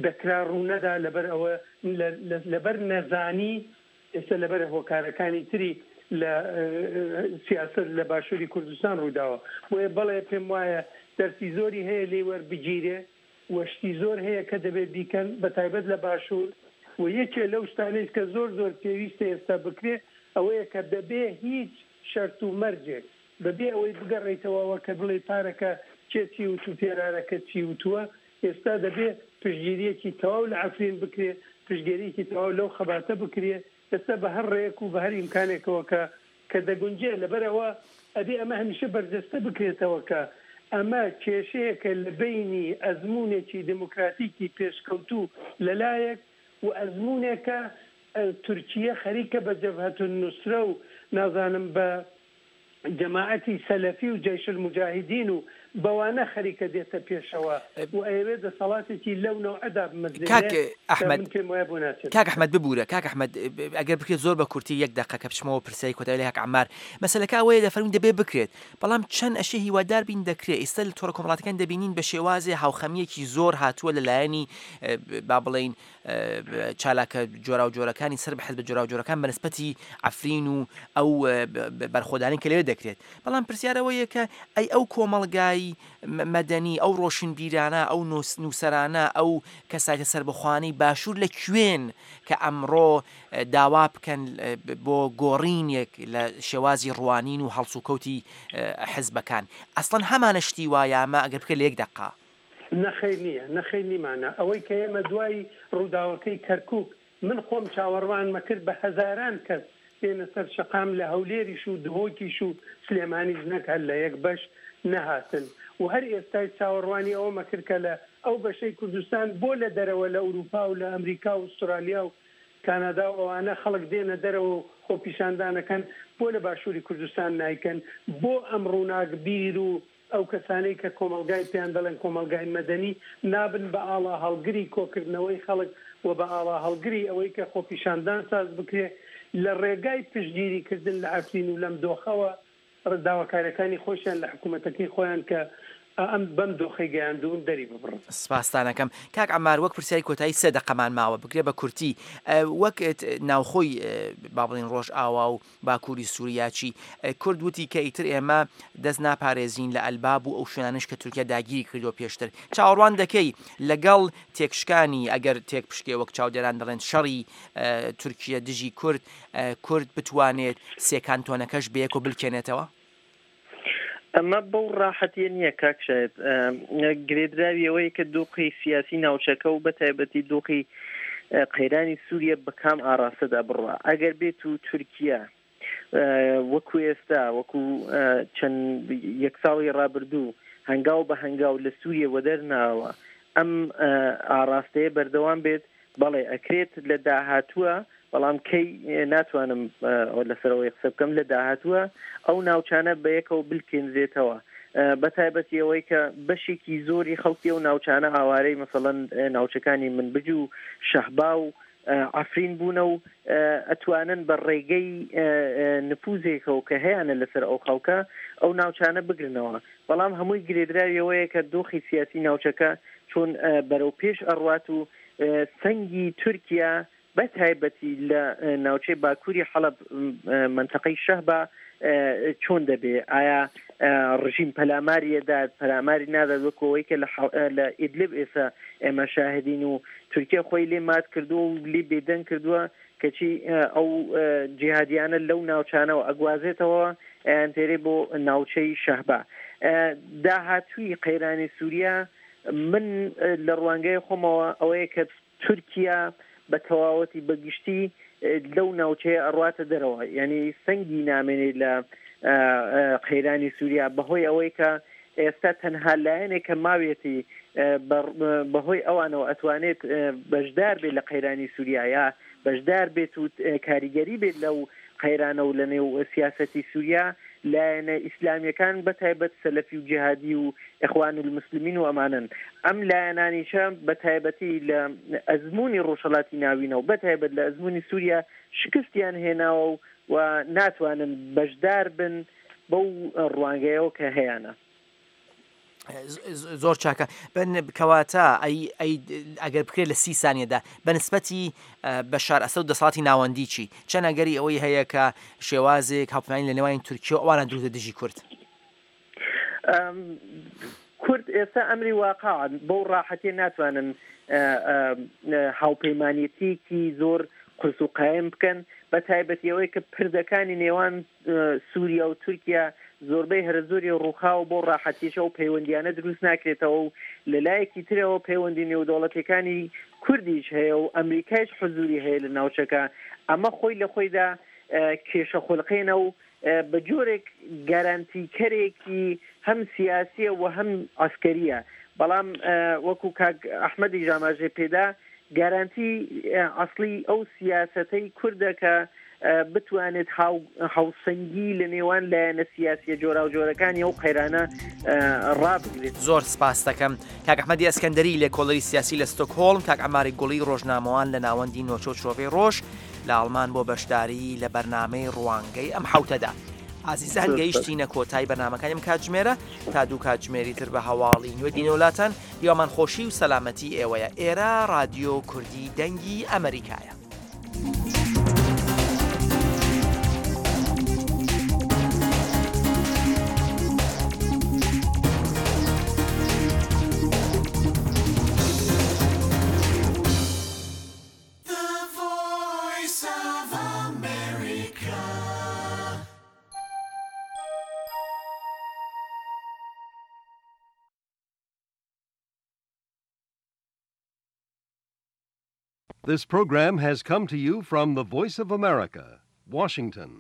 دەکرا ڕوو نەدا لەبەر ئەوە لەبەر نەزانی ئێستا لەبەر هۆکارەکانی تری لە سیاسەت لە باشووری کوردستان ڕوویداوە. بۆیە بەڵێ پێم وایە دەرسی زۆری هەیە لێی وەربگیرێ و شتی زۆر هەیە کە دەبێت بیکەن بە تایبەت لە باشوور و یەکێ لەو شتانەیش کە زۆر زۆر پێویستە ئێستا بکرێ ئەوەیە کە بەبێ هیچ شەرت و مەرجێک بەبێ ئەوەی بگەڕێیتەوە کە بڵێی پارەکە کێ چی وت و پێرارەکە چی وتووە ئێستا دەبێ پشتگیرییەکی تەواو لە عەفرین بکرێ، پشتگێرییەکی تەواو لەو خەباتە بکرێ، ئێستا بە هەر ڕێیەک و بە هەر ئیمکانێکەوە کە کە دەگونجێ، لەبەر ئەوە ئەبێ ئەمە هەمیشە بەرجەستە بکرێتەوە کە ئەمە کێشەیەکە لە بەینی ئەزموونێکی دێموکراتیکی پێشکەوتوو لە لایەک و ئەزموونێکە تورکیە خەریکە بە جەبهەتولنوسرە و نازانم بە جەماعەتی سەلەفی و جەیشولموجاهیدین و بەوانە خەریکە دێتە پێشەوە و ئەیەوێ دەسەڵاتێکی لەو نەوعە دابمەزرێنێ کاک کە ئەحمەد من پێم وایە بۆ ناچێت. کاک ئەحمەد ببورە کاک ئەحمەد ئەگەر بکرێت زۆر بە کورتی یەک دەقە کە بچمەوە پرسیاری کۆتایی لای کاک عەمار مەسەلەکە ئەوەیە دەفەرموون دەبێ بکرێت بەڵام چەند ئەشێ هیوادار بین دەکرێت ئێستا لە تۆڕە کۆمەڵاتەکان دەبینین بە شێوازێ هاوخەمییەکی زۆر هاتووە لە لایەنی با بڵێین چالاکە جۆراوجۆرەکانی سەر بە حزبە جۆراوجۆرەکان بە نسبەتی عەفرین و ئەو بەرخۆدانەی کە لەوێ دەکرێت بەڵام پرسیار ئەوەیە کە ئەی ئەو کۆمەڵگای مەدەنی ئەو ڕۆشنبیرانە ئەو نووسەرانە ئەو کەسایتە سەربەخۆانەی باشوور لە کوێن کە ئەمڕۆ داوا بکەن بۆ گۆڕینێک لە شێوازی ڕوانین و هەڵسوکەوتی حزبەکان ئەسڵەن هەمانە شتی وا یامە ئەگەر بکرێت لە یەک دەقە؟ نەخەیر نییە، نەخەیر نیمانە. ئەوەی کە ئێمە دوای ڕووداوەکەی کەرکووک، من خۆم چاوەڕوانمەکرد بە هەزاران کەس بێنە سەر شەقام لە هەولێریش و دهۆکیش و سلێمانیش نەک هەر لە یەک بەش نەهاتن و هەر ئێستایش چاوەڕوانی ئەوەمەکرد کە لە ئەو بەشەی کوردستان بۆ لە دەرەوە لە ئورووپا و لە ئەمریکا و ئوسترالیا و کانادا و ئەوانە خەڵک دێنە دەرەوە و خۆپیشاندانەکەن بۆ لە باشووری کوردستان نایکەن بۆ ئەم ڕووناکبیر و ئەو کەسانەی کە کۆمەڵگای پێیان دەڵێن کۆمەڵگای مەدەنی نابن بە ئاڵاهەڵگری کۆکردنەوەی خەڵک و بە ئاڵاهەڵگری ئەوەی کە خۆپیشاندان ساز بکرێ لە ڕێگای پشتگیری کردن لە عەفرین و لەم دۆخەوە داواکاریەکانی خۆشیان لە حکوومەتەکەی خۆیان کە ئەم بەم دۆخەی گەیاندوون دەری ببڕن. سپاستانەکەم کاک عەمار، وەک پرسیاری کۆتایی سێ دەقەمان ماوە بکرێ بە کورتی، وەک ناوخۆی با بڵێین ڕۆژئاوا و باکووری سووریا چی؟ کورد وتی کە ئیتر ئێمە دەست ناپارێزین لە ئەلباب و ئەو شوێنانەش کە تورکیا داگیری کردووە پێشتر. چاوەڕوان دەکەی لەگەڵ تێکشکانی، ئەگەر تێک پشکێ وەک چاودێران دەڵێن شەڕی تورکیە دژی کورد، کورد بتوانێت سێ کانتۆنەکەش بەیەکەوە بلکێنێتەوە؟ ئەمە بەو ڕاحەتیە نییە کاک شاید، گرێدراوی ئەوەیە کە دۆخی سیاسی ناوچەکە و بە تایبەتی دۆخی قەیرانی سووریە بە کام ئاراستەدا بڕوا. ئەگەر بێت و تورکیا وەکو ئێستا وەکو چەند یەک ساڵی ڕابردوو هەنگاو بە هەنگاو لە سووریە وەدەرناوە ئەم ئاراستەیە بەردەوام بێت، بەڵێ ئەکرێت لە داهاتووە، بەڵام کەی ناتوانم لەسەرەوەی قسە بکەم، لە داهاتووە ئەو ناوچانە بەیەکەوە بلکێنرێتەوە، بە تایبەتی ئەوەی کە بەشێکی زۆری خەڵکی ئەو ناوچانە ئاوارەی مەسەڵەن ناوچەکانی منبج و شەهبا و عەفرین بوونە و ئەتوانن بە ڕێگەی نفوزێکەوە کە هەیانە لەسەر ئەو خەڵکە ئەو ناوچانە بگرنەوە. بەڵام هەمووی گرێدراویەوەیە کە دۆخی سیاسی ناوچەکە چۆن بەرەو پێش ئەڕوات و سەنگی تورکیا بە تایبەتی لە ناوچەی باکووری حەڵەب منتەقەی شەهبا چۆن دەبێ؟ ئایا ڕژیم پەلاماری ئەدات، پەلاماری نادات، وەکو ئەوەی کە لە ئیدلب ئێستا ئێمە شاهدین و تورکیا خۆی لێ مات کردووە و لێ بێدەنگ کردووە، کەچی ئەو جیهادیانە لەو ناوچانەوە ئەگوازێتەوە ئەیانتێرێ بۆ ناوچەی شەهبا. داهاتووی قەیرانی سووریا من لە ڕوانگەی خۆمەوە ئەوەیە کە تورکیا بە تەواوەتی بەگشتی لەو ناوچەیە ئەڕواتە دەرەوە، یعنی سەنگی نامێنێت لە قەیرانی سووریا، بەهۆی ئەوەی کە ئێستا تەنها لایەنێک کە ماویەتی بەهۆی ئەوانەوە ئەتوانێت بەشدار بێت لە قەیرانی سووریا یا بەشدار بێت و کاریگەری بێت لەو قەیرانە و لە نێو سیاسەتی سووریا، لایەنە ئیسلامیەکان بە تایبەت سەلەفی و جیهادی و ئیخوان المسلمین و ئەمانن. ئەم لایەنانیشە بە تایبەتی لە ئەزمموی ڕۆژهەڵاتی ناوینەوە بە تایبەت لە ئەزمموی سووریا شکستیان هێناوە و ناتوانن بەشدار بن بەو ڕوانگەیەوە کە هەیانە. زۆر چاکە. کەواتە ئەگەر بکرێت لە سی سانیەدا بە نسبەتی بەشار ئەسەد و دەسەڵاتی ناوەندی چی؟ چەند ئەگەری ئەوەی هەیە کە شێوازێک هاوپەیمانی لە نێوانی تورکیا و ئەوانە دروستە دژی کورد؟ کورد ئێستا ئەمری واقع بەو ڕاحەتیە ناتوانن هاوپەیمانێتیەکی زۆر قورس و قایم بکەن، بە تایبەتی ئەوەی کە پردەکانی نێوان سووریا و تورکیا زۆربەی هەرە زۆری ڕووخاوە بۆ ڕاحەتیشە و پەیوەندیانە دروست ناکرێتەوە و لە لایەکی ترەوە پەیوەندی نێودەوڵەتەکانی کوردیش هەیە و ئەمریکایش حزوری هەیە لە ناوچەکە. ئەمە خۆی لە خۆیدا کێشە خولقێنە و بە جۆرێک گارانتیکەرێکی هەم سیاسیە و هەم عەسکەریە. بەڵام وەکو کاک ئەحمەدی ژاماژێ پێدا گارانتی ئەسڵی ئەو سیاسەتەی کوردە کە بتوانێت هاوسەنگی لە نێوان لایەنە سیاسیە جۆراوجۆرەکانی ئەو قەیرانە ڕابگرێت. زۆر سپاس دەکەم کاک ئەحمەدی ئەسکەندەری لێکۆڵەری سیاسی لە ستۆکهۆڵم، کاک عەماری گوڵی ڕۆژنامەوان لە ناوەندی نۆچۆ چرۆڤەی ڕۆژ لە ئەڵمان بۆ بەشداری لە بەرنامەی ڕوانگەی ئەم حەوتەدا. ئازیزان گەیشتینە کۆتای بەرنامەکانیم کاتژمێرە تا دوو کاتژمێری تر بە هەواڵی نوێ دینەولاتان. هیوامان خۆشی و سەلامەتی ئێوەیە. ئێرە رادیۆ کوردی دەنگی ئەمریکایە. This program has come to you from the Voice of America, Washington.